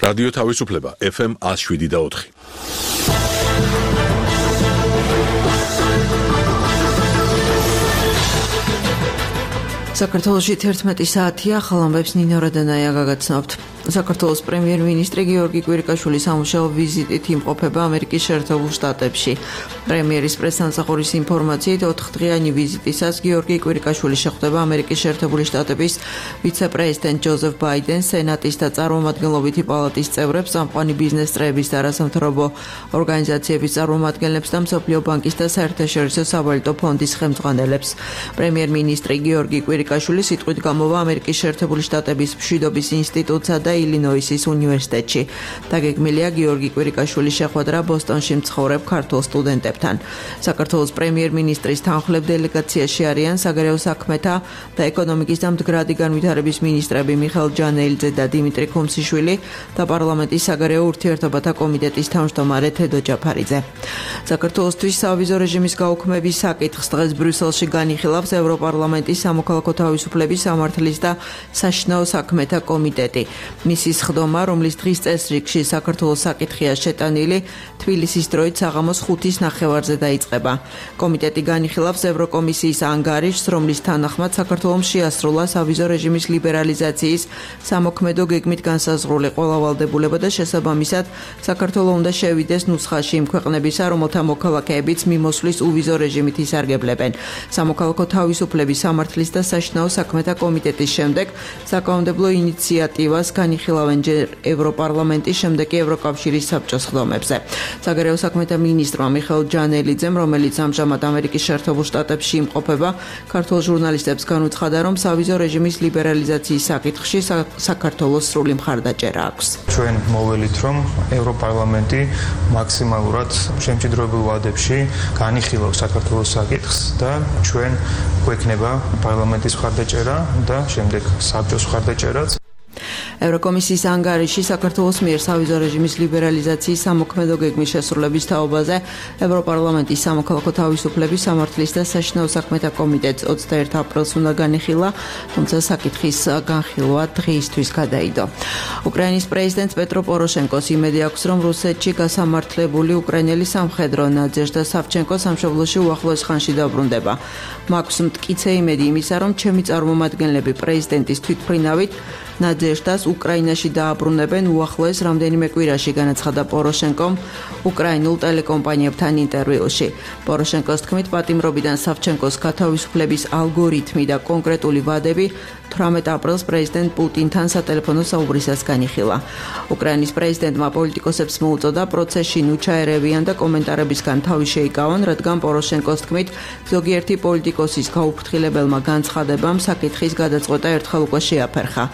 რადიო თავისუფლება FM 107.4. საქართველოში 11 საათია, ხალხებს ნინო რადანაია გაგაცნობთ. საქართველოს პრემიერ-მინისტრი გიორგი კვირიკაშვილი სამუშაო ვიზიტით იმყოფება ამერიკის შეერთებულ შტატებში. პრემიერის პრესსამსახურის ინფორმაციით 4-დღიანი ვიზიტისას გიორგი კვირიკაშვილი შეხვდება ამერიკის შეერთებული შტატების ვიცე-პრეზიდენტ ჯოზეფ ბაიდენს, სენატის და წარმომადგენლობითი პალატის წევრებს, წამყვანი ბიზნეს წრეების და არასამთავრობო ორგანიზაციების წარმომადგენლებს და მსოფლიო ბანკის და საერთაშორისო სავალუტო ფონდის ხელმძღვანელებს. პრემიერ-მინისტრი გიორგი კვირიკაშვილი სიტყვით გამოვა ამერიკის შეერთებული შტატების მშვიდობის ინსტიტუტსა და ილინოისის უნივერსიტეტში. დაგეგმილია გიორგი კვირიკაშვილის შეხვედრა ბოსტონში მცხოვრებ ქართულ სტუდენტებთან. საქართველოს პრემიერ-მინისტრის თანხმლებ დელეგაციაში არიან საგარეო საქმეთა და ეკონომიკის და მდგრადი განვითარების მინისტრები მიხეილ ჯანელიძე და დიმიტრი ქუმსიშვილი და პარლამენტის საგარეო ურთიერთობათა კომიტეტის თავმჯდომარე თედო ჯაფარიძე. საქართველოსთვის სავიზო რეჟიმის გაუქმების საკითხს დღეს ბრიუსელში განიხილავს ევროპარლამენტის სამოქალაქო თავისუფლების სამართლის და საშინაო საქმეთა კომიტეტი. მისი სხდომა, რომლის დღის წესრიგში საქართველოს საკითხია შეტანილი, თბილისის დროით საღამოს 5-ის ნახევარზე დაიწყება. კომიტეტი განიხილავს ევროკომისიის ანგარიშს, რომლის თანახმად საქართველომ შეასრულა სავიზო რეჟიმის ლიბერალიზაციის სამოქმედო გეგმით განსაზღვრული ყველა ვალდებულება და შესაბამისად საქართველო უნდა შევიდეს ნუსხაში იმ ქვეყნებისა, რომელთა მოქალაქეებიც მიმოსვლის უვიზო რეჟიმით ისარგებლებენ. სამოქალაქო თავისუფლების სამართლის და საშინაო საქმეთა კომიტეტის შემდეგ საკანონმდებლო ინიციატივას განიხილავენ ჯერ ევროპარლამენტის, შემდეგ კი ევროკავშირის საბჭოს სხდომებზე. საგარეო საქმეთა მინისტრმა მიხეილ ჯანელიძემ, რომელიც ამჟამად ამერიკის შეერთებულ შტატებში იმყოფება, ქართულ ჟურნალისტებს განუცხადა, რომ სავიზო რეჟიმის ლიბერალიზაციის საკითხში საქართველოს სრული მხარდაჭერა აქვს. ჩვენ მოველით, რომ ევროპარლამენტი მაქსიმალურად შემჭიდროებულ ვადებში განიხილავს საქართველოს საკითხს და ჩვენ გვექნება პარლამენტის მხარდაჭერა და შემდეგ საბჭოს მხარდაჭერაც. ევროკომისიის ანგარიში საქართველოს მიერ სავიზო რეჟიმის ლიბერალიზაციის სამოქმედო გეგმის შესრულების თაობაზე ევროპარლამენტის სამოქალაქო თავისუფლების სამართლის და საშინაო საქმეთა კომიტეტს 21 აპრილს უნდა განიხილა, თუმცა საკითხის განხილვა დღეისთვის გადაიდო. უკრაინის პრეზიდენტ პეტრო პოროშენკოს იმედი აქვს, რომ რუსეთში გასამართლებული უკრაინელი სამხედრო ნადეჟდა სავჩენკო სამშობლოში უახლოეს ხანში დაბრუნდება. მაქვს მტკიცე იმედი იმისა, რომ ჩემი წარმომადგენლები პრეზიდენტის თვითმფრინავით ნადეჟდას უკრაინაში დააბრუნებენ უახლოეს რამდენიმე კვირაში, განაცხადა პოროშენკომ უკრაინულ ტელეკომპანიებთან ინტერვიუში. პოროშენკოს თქმით, პატიმრობიდან სავჩენკოს გათავისუფლების ალგორითმი და კონკრეტული ვადები 18 აპრილს პრეზიდენტ პუტინთან სატელეფონო საუბრისას განიხილა. უკრაინის პრეზიდენტმა პოლიტიკოსებს მოუწოდა პროცესში ნუჩაერევიან და კომენტარებისგან თავი შეიკავონ, რადგან პოროშენკოს თქმით, ზოგიერთი პოლიტიკოსის გაუფრთხილებელმა განცხადებამ საკითხის გადაწყვეტა ერთხელ უკვე შეაფერხა.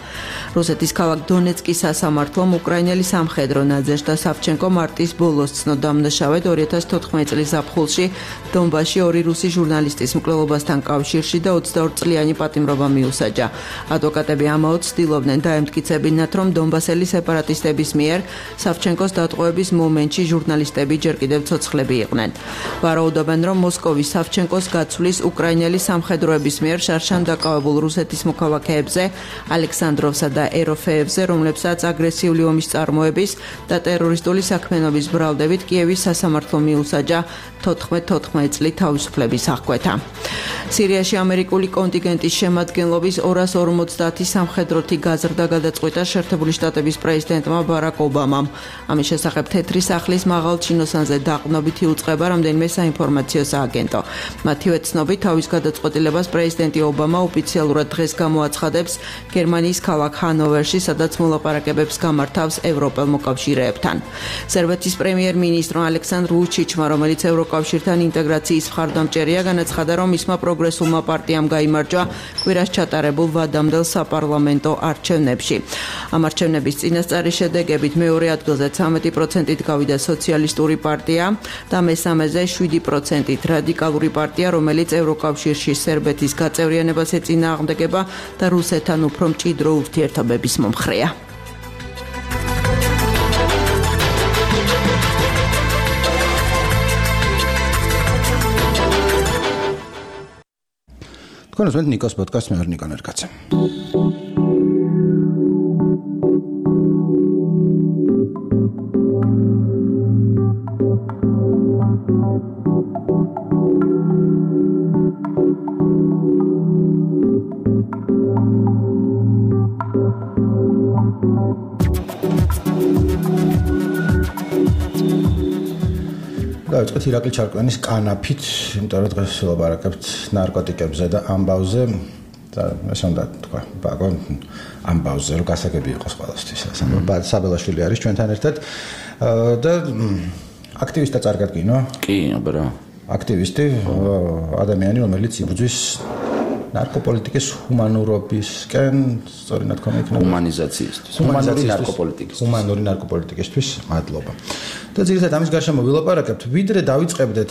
რუსეთის ქალაქ დონეცკის სასამართლომ უკრაინელი სამხედრო ნადეჟდა სავჩენკო მარტის ბოლოს ცნო დამნაშავედ 2014 წლის ზაფხულში დონბასში ორი რუსი ჟურნალისტის მკვლელობასთან კავშირში და 22 წლიანი პატიმრობა მიუსაჯა. ადვოკატები ამაოდ ცდილობდნენ დაემტკიცებინათ, რომ დონბასელი სეპარატისტების მიერ სავჩენკოს დატყვევების მომენტში ჟურნალისტები ჯერ კიდევ ცოცხლები იყვნენ. ვარაუდობენ, რომ მოსკოვის სავჩენკოს გაცვლის უკრაინელი სამხედროების მიერ შარშან დაკავებულ რუსეთის მოქალაქეებზე, ალექსანდროვსა და ეროფეებზე, რომლებსაც აგრესიული ომის წარმოების და ტერორისტული საქმიანობის ბრალდებით კიევის სასამართლო მიუსაჯა 14 წლით თავისუფლების აღკვეთა. სირიაში ამერიკული კონტინგენტის შემადგენლობის 250 სამხედროთი გაზრდა გადაწყვეტა შეერთებული შტატების პრეზიდენტმა ბარაკ ობამამ. ამის შესახებ თეთრი სახლის მაღალ ჩინოსანზე დაყრდნობით იუწყება რამდენიმე საინფორმაციო სააგენტო. მათივე ცნობით, თავის გადაწყვეტილებას პრეზიდენტი ობამა ოფიციალურად დღეს გამოაცხადებს გერმანიის ქალაქ ჰანოვერში, სადაც მოლაპარაკებებს გამართავს ევროპელ მოკავშირეებთან. სერბეთის პრემიერ-მინისტრმა ალექსანდრ ვუჩიჩმა, რომელიც ევროკავშირთან ინტეგრაციის მხარდამჭერია, განაცხადა, რომ მისმა პროგრესულმა პარტიამ გაიმარჯვა კვირას ჩატარებულ ვადამდელ საპარლამენტო არჩევნებში. ამ არჩევნების წინასწარი შედეგებით მეორე ადგილზე 13%-ით გავიდა სოციალისტური პარტია და მესამეზე 7%-ით რადიკალური პარტია, რომელიც ევროკავშირში სერბეთის გაწევრიანებას ეწინააღმდეგება და რუსეთთან უფრო მჭიდრო ურთიერთობების მომხრეა. თქვენ უსმენთ ნიკოს პოდკასტს, მე ვარ ნიკო ნერკაცე. დავიწყეთ ირაკლი ჩარკვიანის კანაფით, იმიტომ რომ დღეს ვილაპარაკებთ ნარკოტიკებზე და ამბავზე და ესე უნდა თქვა, ბაგო ამბავზე რომ გასაგები იყოს ყველასთვის. საბელაშვილი არის ჩვენთან ერთად და აქტივისტად წარგადგინო? კი, აბა. აქტივისტი, ადამიანი, რომელიც იბრძვის ნარკოპოლიტიკის ჰუმანურობისკენ, სწორი ნათქვამი იქნება. ჰუმანიზაციისთვის. ჰუმანური ნარკოპოლიტიკისთვის, მადლობა. და ძირითადად ამის გარშემო ვილაპარაკებთ, ვიდრე დავიწყებდეთ,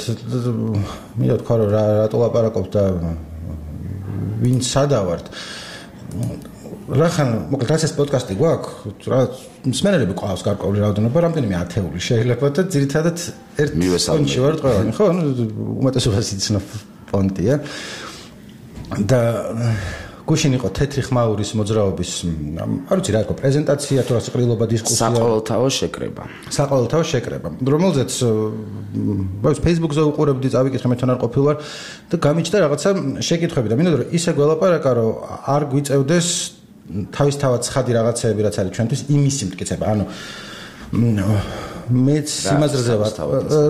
მინდა თქვა რომ რატო ლაპარაკობთ და ვინ სადავართ. რახან, მოკლედ რაც ეს პოდკასტი გვაქვს, რა მსმენელები ყავს გარკვეული რაოდენობა, რამდენიმე ათეული შეიძლება და ძირითადად ერთ ფონტში ვართ ყველანი, ხო? უმეტესობას იცნობ ფონტია. და გუშინ იყო თეთრი ხმაურის მოძრაობის, არ ვიცი რა იყო, პრეზენტაცია თუ რა სიყრილობა დისკუსია. საყოველთაო შეკრება. რომელზეც Facebook-ზე უყურებდი, წავიკითხე მე თან არ ყოფილვარ და გამიჩნდა რაღაცა შეკითხვები და მინდა რომ ისე გველაპარაკა რომ არ გვიწევდეს თავისთავად ცხადი რაღაცეები რაც არის ჩვენთვის იმისი მტკიცება. ანუ მეც იმაზრზე ვარ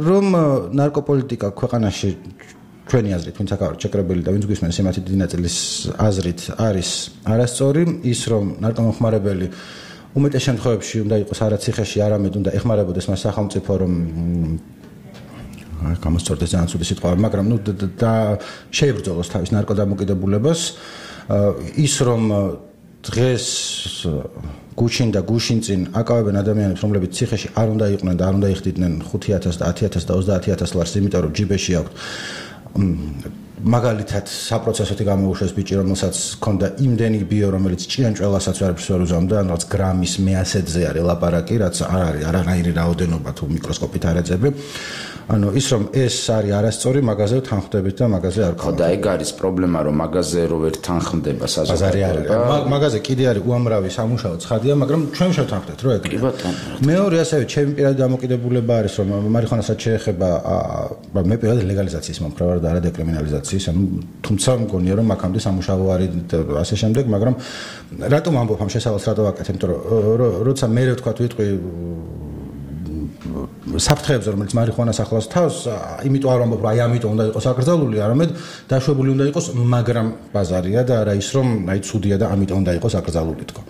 რომ ნარკოპოლიტიკა ქვეყანაში ჩვენი აზრით, ვინც აქ არის ჩეკრებელი და ვინც გვისმენს იმათი დიდი ნაწილის აზრით არის არასწორი, ის რომ ნარკომხმარებელი უმეტეს შემთხვევებში უნდა იყოს არა ციხეში, არამედ უნდა ეხმარებოდეს მას სახელმწიფო, რომ გამოსწორდეს ძალიან ცუდი სიტყვა, მაგრამ და შეებრძოლოს თავის ნარკოდამოკიდებულებას, ის რომ დღეს გუშინ და გუშინ წინ აკავებენ ადამიანებს, რომლებიც ციხეში არ უნდა იყვნენ და არ უნდა იხდიდნენ 5,000 და 10,000 და 30,000 ლარს, იმიტომ რომ ჯიბეში აქვთ მაგალითად საპროცესოთი გამოუშვეს ბიჭი, რომელსაც ჰქონდა იმდენი ბიო, რომელიც ჭიანჭველასაც არაფერს ვერ უზამდა, ანუ რაც გრამის მეასედზე არის ლაპარაკი, რაც არ არის არანაირი რაოდენობა თუ მიკროსკოპით არ ეძები. ანუ ის რომ ეს არის არასწორი, მაგაზე თანხმდებით და მაგაზე არ ხო და ეგ არის პრობლემა, რომ მაგაზე რო ვერ თანხმდება საზოგადოება. მაგაზე კიდე არის უამრავი სამუშაო ცხადია, მაგრამ ჩვენ შევთანხმდეთ რომ ეგ. მეორე ასევე ჩემი პირადი დამოკიდებულება არის, რომ მარიხუანასაც შეეხება მე პირადად ლეგალიზაციის მომხრე ვარ და არა დეკრიმინალიზაციის, ანუ თუმცა მგონია რომ აქამდე სამუშაო არის და ასე შემდეგ, მაგრამ რატომ ამბობ ამ შესავალს რატო ვაკეთებ, იმიტომ რომ როცა მე ვთქვა ვიტყვი საფრთხეებზე, რომელიც მარიხუანას ახლავს თავს, იმიტომ არ ვამბობ, რომ აი ამიტომ უნდა იყოს აკრძალული, არამედ დაშვებული უნდა იყოს, მაგრამ ბაზარია და არა ის, რომ აი ცუდია და ამიტომ უნდა იყოს აკრძალული თქო.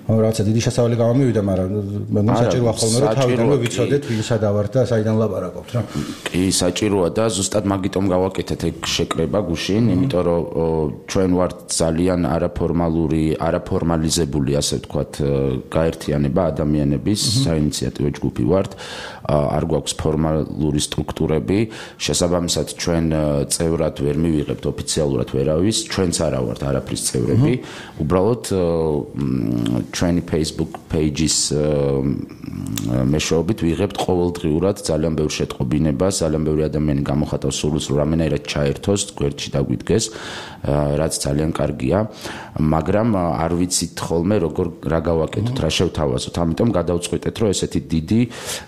რაღაცა დიდი შესავალი გამომივიდა, მაგრამ მე საჭიროა ხოლმე რომ თავიდანვე ვიცოდეთ ვინ სადავართ და საიდან ლაპარაკობთ რა. კი, საჭიროა და ზუსტად მაგიტომ გავაკეთეთ ეგ შეკრება გუშინ, იმიტომ რომ ჩვენ ვართ ძალიან არაფორმალიზებული, ასე ვთქვათ, გაერთიანება ადამიანების, საინიციატივო ჯგუფი ვართ. არ გვაქვს ფორმალური სტრუქტურები, შესაბამისად ჩვენ წევრად ვერ მივიღებთ ოფიციალურად ვერავის, ჩვენც არა ვართ არაფრის წევრები, უბრალოდ ჩვენი Facebook page-ის მეშვეობით ვიღებთ ყოველდღიურად ძალიან ბევრ შეტყობინებას, ძალიან ბევრი ადამიანი გამოხატავს სურვილს, რომ რამენერად ჩაერთოს, გვერდში დაგვიდგეს, რაც ძალიან კარგია, მაგრამ არ ვიცით ხოლმე რა გავაკეთოთ, რა შევთავაზოთ, ამიტომ გადავწყვიტეთ, რომ ესეთი დიდი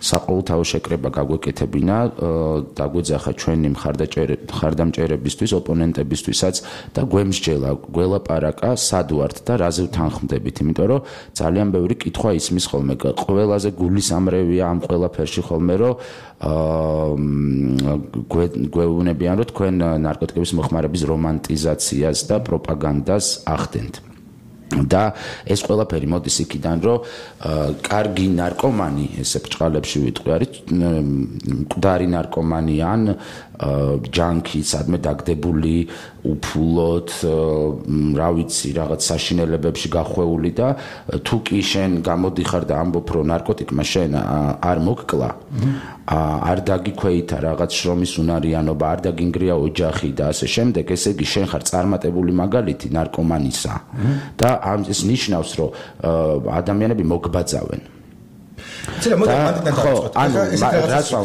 საყოველთაო შეკრება გაგვეკეთებინა, დაგვეძახა ჩვენი მხარდამჭერებისთვის, ოპონენტებისთვისაც და გვემსჯელა, გველაპარაკა, სად ვართ და რაზე ვთანხმდებით, იმიტომ რომ ძალიან ბევრი კითხვა ისმის ხოლმე, ყველაზე გულისამრევია ამ ყველაფერში ხოლმე, რომ გვეუბნებიან, რომ თქვენ ნარკოტიკების მოხმარების რომანტიზაციას და პროპაგანდას ახდენთ. და ეს ყველაფერი მოდის იქიდან, რომ კარგი ნარკომანი, ესე ბრჭყალებში ვიტყვი, არის მკვდარი ნარკომანი ან ჯანკი, სადმე დაგდებული, უფულოდ, რა ვიცი, რაღაც საშინელებებში გახვეული და თუ კი შენ გამოდიხარ და ამბობ, რომ ნარკოტიკმა შენ არ მოგკლა, არ დაგიქვეითა რაღაც შრომის უნარიანობა, არ დაგინგრია ოჯახი და ასე შემდეგ, ესე იგი შენ ხარ წარმატებული მაგალითი ნარკომანისა და ეს ნიშნავს, რომ ადამიანები მოგბაძავენ.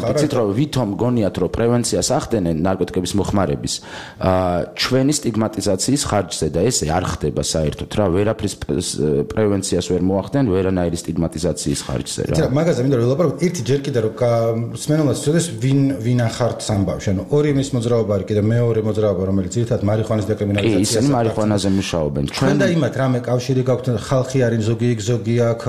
რაცით რომ ვითომ გონიათ რომ პრევენციას ახდენენ ნარკოტიკების მოხმარების ჩვენი სტიგმატიზაციის ხარჯზე და ესე არ ხდება საერთოდ რა ვერაფრის პრევენციას ვერ მოახდენ ვერანაირი სტიგმატიზაციის ხარჯზე რა მაგაზე მინდა რომ ვილაპარაკოთ ერთი ჯერ კიდე რომ მსმენელს ცოდეს ვინ ახართ სამბავში ანუ ორი იმის მოძრაობა არის კიდე მეორე მოძრაობა რომელიც ძირითადად მარიხუანის დეკრიმინალიზაციას ისინი მარიხუანაზე მუშაობენ ჩვენ და იმათ რამე კავშირი გაქვთ ხალხი არის ზოგი იქ ზოგი აქ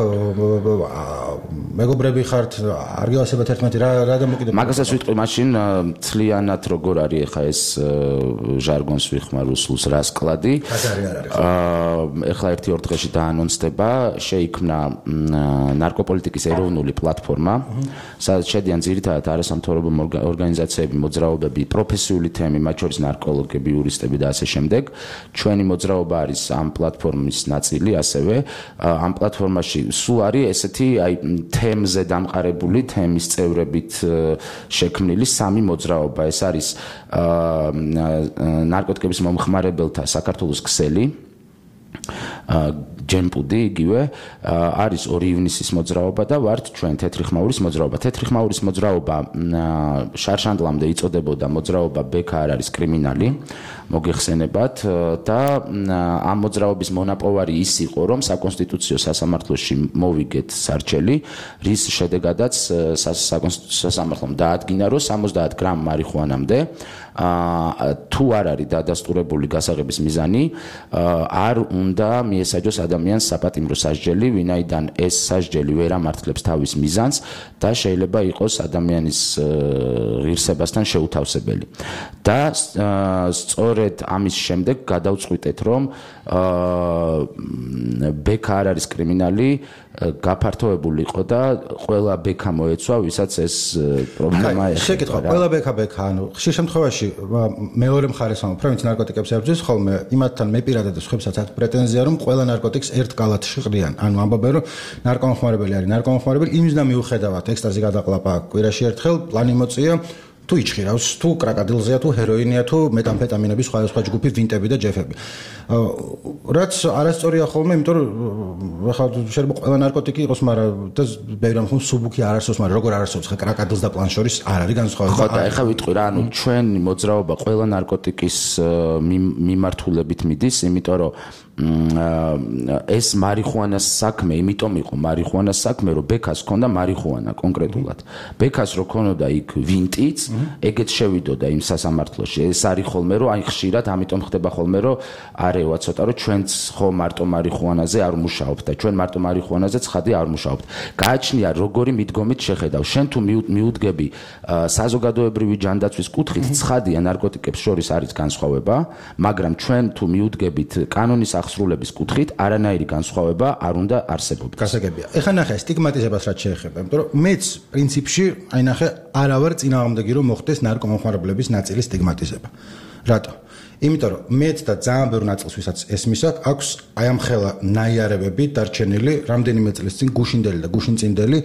მე მეგობრები ხართ, არ გევასებათ ერთმანეთი რა დამოკიდებულება. მაგასაც ვიტყვი მაშინ ცლიანად როგორ არის ახლა ეს ჟარგონს ვიხმარ რუსულს რა სკლადი. ახლა 1-2 დღეში დაანონსდება, შეიქმნა ნარკოპოლიტიკის ეროვნული პლატფორმა, სადაც შედიან ძირითადად არასამთავრობო ორგანიზაციები, მოძრაობები, პროფესიული თემი, მათ შორის ნარკოლოგები, იურისტები და ასე შემდეგ. ჩვენი მოძრაობა არის ამ პლატფორმის ნაწილი, ასევე ამ პლატფორმაში სულ არის ესეთი თემზე დამყარებული, თემის წევრებით შექმნილი 3 მოძრაობა. ეს არის ნარკოტიკების მომხმარებელთა საქართველოს ქსელი, ჯემპუდი იგივე, არის 2 ივნისის მოძრაობა და ვართ ჩვენ თეთრი ხმაურის მოძრაობა. თეთრი ხმაურის მოძრაობა შარშანდლამდე იწოდებოდა მოძრაობა ბექა არ არის კრიმინალი, მოგეხსენებათ და ამ მოძრაობის მონაპოვარი ის იყო, რომ საკონსტიტუციო სასამართლოში მოვიგეთ სარჩელი, რის შედეგადაც საკონსტიტუციო სასამართლომ დაადგინა, რომ 70 გრამ მარიხუანამდე თუ არ არის დადასტურებული გასაღების მიზანი, არ უნდა მიესაჯოს ადამიანს საპატიმრო სასჯელი, ვინაიდან ეს სასჯელი ვერ ამართლებს თავის მიზანს და შეიძლება იყოს ადამიანის ღირსებასთან შეუთავსებელი. და სწორედ ამის შემდეგ გადავწყვიტეთ, რომ ბექა არ არის კრიმინალი, გაფართოებული იყო და ყველა ბექა მოეცვა, ვისაც ეს პრობლემა ეხება. შეკითხვა, ყველა ბექა, ანუ ხშირ შემთხვევაში მეორე მხარეს ამბობ, ვინც ნარკოტიკებს ებრძვის, ხოლმე იმათთან მე პირადად სხვებსაც აქვს პრეტენზია, რომ ყველა ნარკოტიკს ერთ კალათში ყრიან. ანუ ამბობენ, რომ ნარკომხმარებელი არის ნარკომხმარებელი, იმის და მიუხედავად ექსტაზი გადაყლაპა კვირაში ერთხელ, პლანი მოწია, თუ იჩხირავს, თუ კრაკადილზეა, თუ ჰეროინია, თუ მეტამფეტამინების სხვადასხვა ჯგუფი, ვინტები და ჯეფები. რაც არასწორია ხოლმე, იმიტომ რომ ახლა შეიძლება ყველა ნარკოტიკი იყოს, მაგრამ და ბევრი რამ სუბუქი არ არსებობს, მაგრამ როგორ არ არსებობს ხა კრაკადილს და პლან შორის არ არის განსხვავება. ხო და ეხლა ვიტყვი რა, ანუ ჩვენი მოძრაობა ყველა ნარკოტიკის მიმართულებით მიდის, იმიტომ რომ ეს მარიხუანას საქმე, იმიტომ იყო მარიხუანას საქმე, რომ ბექას ჰქონდა მარიხუანა კონკრეტულად. ბექას რო ქონოდა იქ ვინტიც, ეგეც შევიდოდა იმ სასამართლოში. ეს არის ხოლმე, რომ აი ხშირად ამიტომ ხდება ხოლმე, რომ არევა ცოტა, რომ ჩვენც ხო მარტო მარიხუანაზე არ მუშაობთ და ჩვენ მარტო მარიხუანაზე ცხადი არ მუშაობთ. გააჩნია როგორი მიდგომით შეხედავ. შენ თუ მიუდგები საზოგადოებრივი ჯანდაცვის კუთხით, ცხადია ნარკოტიკებს შორის არის განსხვავება, მაგრამ ჩვენ თუ მიუდგებით კანონის აღსრულების კუთხით არანაირი განსხვავება არ უნდა არსებობდეს. გასაგებია. ეხლა ნახე სტიგმატიზებას რაც შეეხება, იმიტომ რომ მეც პრინციპში აი ნახე არავარ წინააღმდეგი რომ მოხდეს ნარკომომხმარებლების ნაწილის სტიგმატიზება. რატო? იმიტომ რომ მეც და ძალიან ბევრ ნაწილს ვისაც ესმისათ, აქვს აი ამ ხელა ნაიარებები დარჩენილი რამდენიმე წლის წინ გუშინდელი და გუშინწინდელი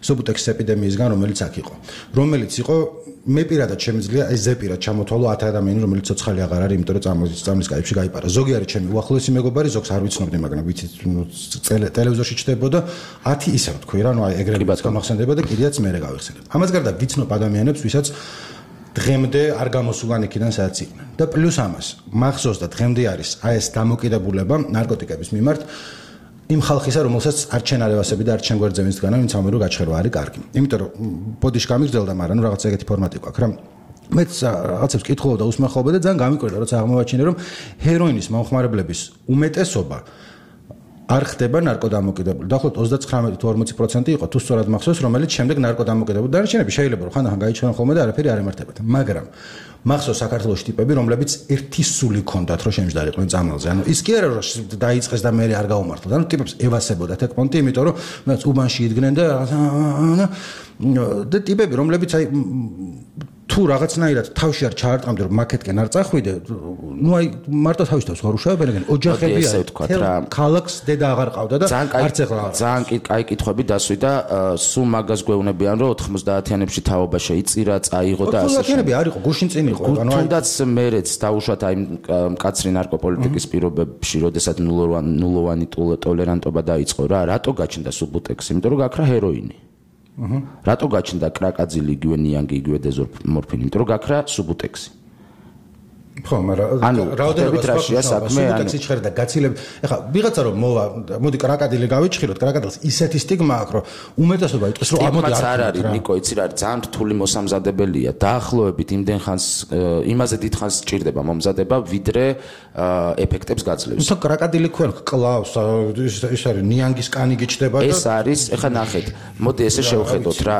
სუბუტექსის ეპიდემიისგან, რომელიც აქ იყო. რომელიც იყო მე პირადად შემიძლია ეს ზეპირად ჩამოთვალო 10 ადამიანი, რომელიც ცოცხალი აღარ არის, იმიტომ რომ წამლის კაიფში გაიპარა. ზოგი არის ჩემი უახლოესი მეგობარი, ზოგს არ ვიცნობდი, მაგრამ ვიცით ტელევიზორში ჩდებოდა 10 ისე ვთქვი რა, ნუ აი ეგრევე გამახსენდება და კიდეც მე გავიხსენებ. ამას გარდა ვიცნობ ადამიანებს, ვისაც დღემდე არ გამოსულან იქიდან სადაც იყვნენ. და პლუს ამას, მახსოვს და დღემდე არის აი ეს დამოკიდებულება ნარკოტიკების მიმართ იმ ხალხისა, რომელსაც არ ჩენარევასები და არ ჩენ გვერდზე ვინც დგანა, ვინც ამერო გაჩხერვა არის კარგი. იმიტომ რომ ბოდიში გამიგრძელდა, მაგრამ ნუ რაღაც ეგეთი ფორმატი გვაქვს რა. მეც რაღაცებს კითხულობ და უსმენხობდი და ძალიან გამიკვირდა, როცა აღმოვაჩინე, რომ ჰეროინის მომხმარებლების უმეტესობა არ ხდება ნარკოდამოკიდებული. დაახლოებით 39-40% იყო თუ სწორად მახსოვს, რომელიც შემდეგ ნარკოდამოკიდებული დარჩენები შეიძლება რომ ხანდახან გაიჩვენენ ხოლმე და არაფერი არ ემართებათ. მაგრამ მახსოვს საქართველოს ტიპები, რომლებიც ერთი სული ქონდათ, რომ შემჯდარიყვნენ წამალზე. ანუ ის კი არა რომ დაიწყეს და მე არ გაუმართლოთ. ანუ ტიპებს ევასებოდათ ეგ პონტი, იმიტომ რომ მეც უბანში იდგნენ და ტიპები, რომლებიც აი თუ რაღაცნაირად თავში არ ჩაარტყამდი რომ მაკეთკენ არ წახვიდე, ნუ აი მარტო თავის თავს ხარ უშავებენ, ოჯახები არის. ქალაქს დედა აღარ ყავდა და არც ეხლა აღარ. ძალიან კაი კითხვები დასვი და სულ მაგას გვეუბნებიან რომ 90-იანებში თაობა შეიწირა, წაიღო და ასე. 90-იანები არ იყო, გუშინ წინ იყო. ანუ თუნდაც მერეც დაუშვათ აი მკაცრი ნარკოპოლიტიკის პირობებში, როდესაც ნულოვანი ტოლერანტობა დაიწყო რა, რატო გაჩნდა სუბუტექსი? იმიტომ რომ გაქრა ჰეროინი. რატო გაჩნდა კრაკაძილი, იგივე ნიანგი, იგივე დეზორმორფინი? იმიტომ რომ გაქრა სუბუტექსი. ხო, მაგრამ რაოდენობა რაშია საქმე, ანუ სიჩქარე და გაცილებ. ეხლა ვიღაცა რომ მოვა, მოდი კრაკადილი გავიჩხიროთ, კრაკადილს ისეთი სტიგმა აქვს, რომ უმეტესობა იტყვის, რომ ამოდი არ არის, ნიკო, იცი რა არის, ძალიან რთული მოსამზადებელია. დაახლოებით იმდენ ხანს იმაზე დიდ ხანს სჭირდება მომზადება, ვიდრე ეფექტებს გაძლევს. თუმცა კრაკადილი ქვენ კლავს, ის არის ნიანგის კანი გიჩდება და ეს არის, ეხლა ნახეთ, მოდი ესე შევხედოთ რა,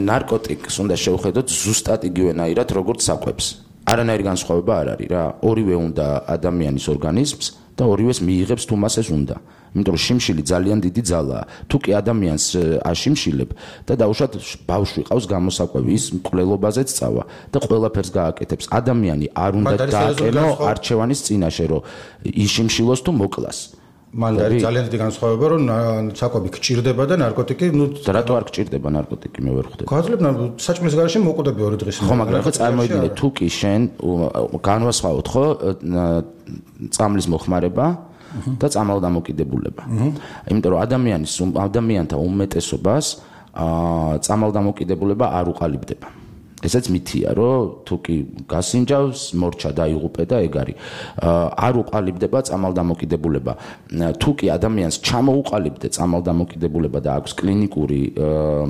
ნარკოტიკს უნდა შევხედოთ ზუსტად იგივენაირად, როგორც საკვებს. არანაირი განსხვავება არ არის რა. ორივე უნდა ადამიანის ორგანიზმს და ორივეს მიიღებს თუ მას ეს უნდა. იმიტომ რომ შიმშილი ძალიან დიდი ძალაა. თუ კი ადამიანს აშიმშილებ და დაუშვათ ბავშვი ყავს გამოსაკვები, ის მკვლელობაზეც წავა და ყველაფერს გააკეთებს. ადამიანი არ უნდა დააკენო არჩევანის წინაშე, რომ იშიმშილოს თუ მოკლას. მან არის ძალიან დიდი განსხვავება, რომ საკვები გჭირდება და ნარკოტიკი, და რატო არ გჭირდება ნარკოტიკი, მე ვერ ხვდები. გაძლებ საჭმლის garaში მოკვდები 2 დღის. ხო, მაგრამ ხო წარმოიდგინე, თუ კი შენ განვასხვაოთ, ხო, წამლის მოხმარება და წამალდამოკიდებულება. იმიტომ რომ ადამიანთა უმეტესობას წამალდამოკიდებულება არ უყალიბდება. ესეც მითია, რომ თუ კი გასინჯავს, მორჩა დაიღუპე და ეგ არის. არ უყალიბდება წამალდამოკიდებულება. თუ კი ადამიანს ჩამოუყალიბდე წამალდამოკიდებულება და აქვს კლინიკური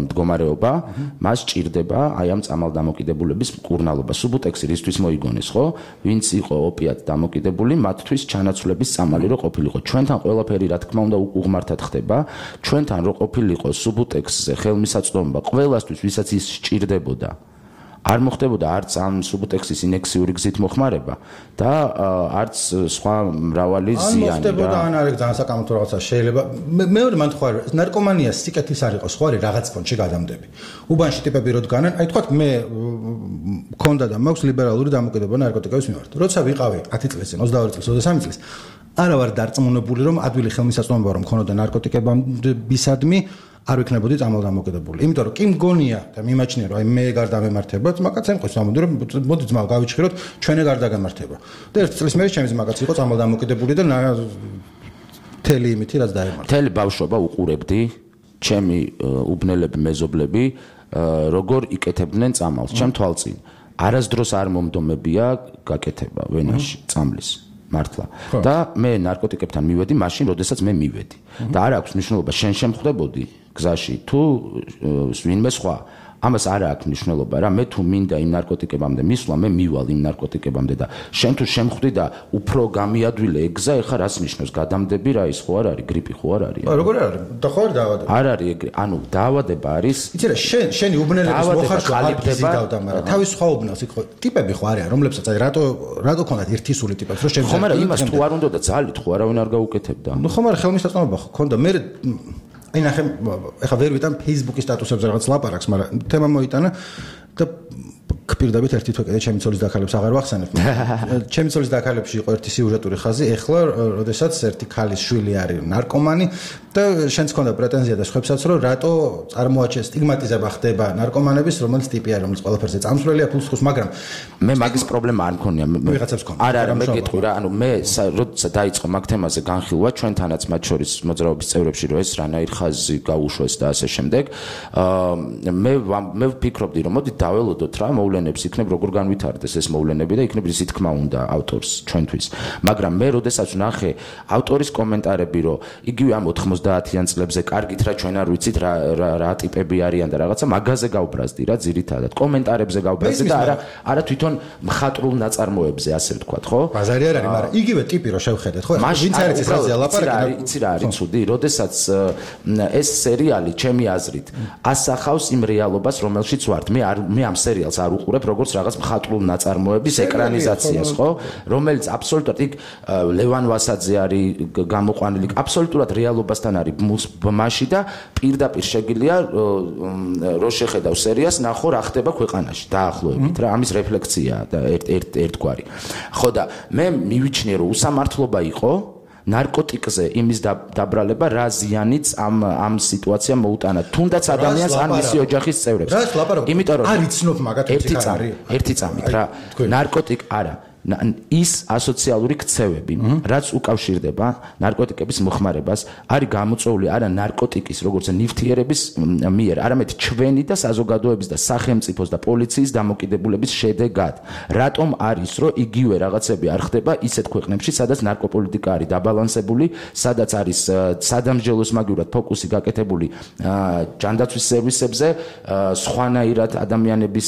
მდგომარეობა, მას ჭირდება აი ამ წამალდამოკიდებულების მკურნალობა. სუბუტექსი რისთვის მოიგონეს, ხო? ვინც იყო ოპიატ დამოკიდებული, მათთვის ჩანაცვლების წამალი რო ყოფილიყო. ჩვენთან ყველაფერი რა თქმა უნდა უღმართად ხდება. ჩვენთან რო ყოფილიყო სუბუტექსზე ხელმისაწვდომობა ყველასთვის, ვისაც ის სჭირდებოდა. არ მოხდებოდა არც ამ სუბუტექსის ინექციური გზით მოხმარება და არც სხვა მრავალი ზიანი რა. არ მოხდებოდა, ან არის ძალიან საკამათო რაღაცა შეიძლება. მეორე მან თქვა, ნარკომანია სიკეთის არ იყოს, ხო არის რაღაც ფონდში გადამდები. უბანში ტიპები რო დგანან, აი თქვა მე მქონდა და მაქვს ლიბერალური დამოკიდებულება ნარკოტიკების მიმართ. როცა ვიყავი 10 წლის წინ, 22 წლის, 23 წლის, არა ვარ დარწმუნებული, რომ ადვილი ხელმისაწვდომობა რომ მქონოდა ნარკოტიკებისადმი არ ვიქნებოდი წამალდამოკიდებული. იმიტომ რომ კი მგონია და მიმაჩნია რომ აი მე გარდა მემართება, მაგაც ემყვის ამბობდი რომ მოდი ძმა გავიჩხიროთ, ჩვენი გარდა გამართება. და ერთ წლის მერე ჩემი ძმაკაც იყო წამალდამოკიდებული და თელი იმითი რაც დაემართა. თელი ბავშვობა უყურებდი ჩემი უბნელები, მეზობლები, როგორ იკეთებდნენ წამალს, ჩემ თვალწინ. არასდროს არ მომდომებია გაკეთება ვენაში წამლის. მართლა. და მე ნარკოტიკებთან მივედი მაშინ, როდესაც მე მივედი. და არ აქვს მნიშვნელობა შენ შემხვდებოდი გზაში თუ ვინმე სხვა. ამას არ აქვს მნიშვნელობა რა. მე თუ მინდა იმ ნარკოტიკებამდე მისვლა, მე მივალ იმ ნარკოტიკებამდე და შენ თუ შემხვდი და უფრო გამიადვილე ეგზა, ეხა რას ნიშნავს? გადამდები რა ის ხო არ არის? გრიპი ხო არ არის? როგორ არის? და ხო არის დაავადება? არ არის ეგრე. ანუ დაავადება არის. იცი რა, შენი უბნელების მოხარშვა ყალიბდება და თავის სხვა უბნელს იქ ხო ტიპები ხო არიან, რომლებსაც აი რატო ქონდათ ერთი სული ტიპებს, რომ ხო, მაგრამ იმას თუ არ უნდა და ძალით ხო არავინ არ გაუკეთებდა. ნუ ხო, მაგრამ ხელმისაწვდომობა ხო ქონდა. მე აი ნახე, ეხლა ვერ ვიტან Facebook-ის სტატუსებზე რაღაც ლაპარაკს, მაგრამ თემა მოიტანა და გპირდებით ერთი თვე კიდე ჩემი ცოლის დაქალებს აღარ ვახსენებ. ჩემი ცოლის დაქალებში იყო ერთი სიუჟეტური ხაზი, ეხლა როდესაც ერთი ქალის შვილი არის ნარკომანი და შენც ქონდა პრეტენზია და სხვებსაც რომ რატო წარმოაჩენ სტიგმატიზება ხდება ნარკომანების, რომელიც ტიპი არის, რომელიც ყველაფერზე წამსვლელია ფულს ხოს, მაგრამ მე მაგის პრობლემა არ მქონია. ვიღაცებს ქონდა. არა, მე გეტყვი რა, ანუ მე როდესაც დაიწყო მაგ თემაზე განხილვა, ჩვენთანაც მათ შორის მოძრაობის წევრებში რომ ეს რანაირ ხაზი გაუშვეს და ასე შემდეგ, მე ვფიქრობდი რომ მოდი დაველოდოთ რა მოვლენებს იქნებ როგორ განვითარდეს ეს მოვლენები და იქნებ ისი თქმა უნდა ავტორს ჩვენთვის. მაგრამ მე როდესაც ვნახე ავტორის კომენტარები რომ იგივე ამ 90-იან წლებზე კარგით რა ჩვენ არ ვიცით რა ტიპები არიან და რაღაცა მაგაზე გავბრაზდი რა ძირითადად კომენტარებზე გავბრაზდი და არა თვითონ მხატვრულ ნაწარმოებზე ასე ვთქვათ ხო? ბაზარი არ არის, მაგრამ იგივე ტიპი რო შევხედეთ ხო? ვინც არის ეს რაზეა ლაპარაკი? იცი რა არის ცუდი, როდესაც ეს სერიალი ჩემი აზრით ასახავს იმ რეალობას რომელშიც ვართ. მე ამ სერიალს არ უყურებ როგორც რაღაც მხატვრულ ნაწარმოების ეკრანიზაციას ხო? რომელიც აბსოლუტურად იქ ლევან ვასაძე არის გამოყვანილი აბსოლუტურად რეალობასთან არის ბმაში და პირდაპირ შეგიძლია რო შეხედავ სერიას ნახო რა ხდება ქვეყანაში დაახლოებით რა ამის რეფლექციაა და ერთგვარი. ხო და მე მივიჩნიე რომ უსამართლობა იყო ნარკოტიკზე იმის დაბრალება რა ზიანიც ამ სიტუაციამ მოუტანა თუნდაც ადამიანს ან მისი ოჯახის წევრებს. იმიტომ რომ არ იცნობ მაგათ ერთი წამით რა ნარკოტიკ არა ის ასოციალური ქცევები, რაც უკავშირდება ნარკოტიკების მოხმარებას, არის გამოწვეული არა ნარკოტიკის, როგორც ნივთიერების მიერ, არამედ ჩვენი და საზოგადოების და სახელმწიფოს და პოლიციის დამოკიდებულების შედეგად. რატომ არის, რომ იგივე რაღაცები არ ხდება ისეთ ქვეყნებში, სადაც ნარკოპოლიტიკა არის დაბალანსებული, სადაც არის სადამსჯელოს მაგივრად ფოკუსი გაკეთებული ჯანდაცვის სერვისებზე, სხვანაირად ადამიანების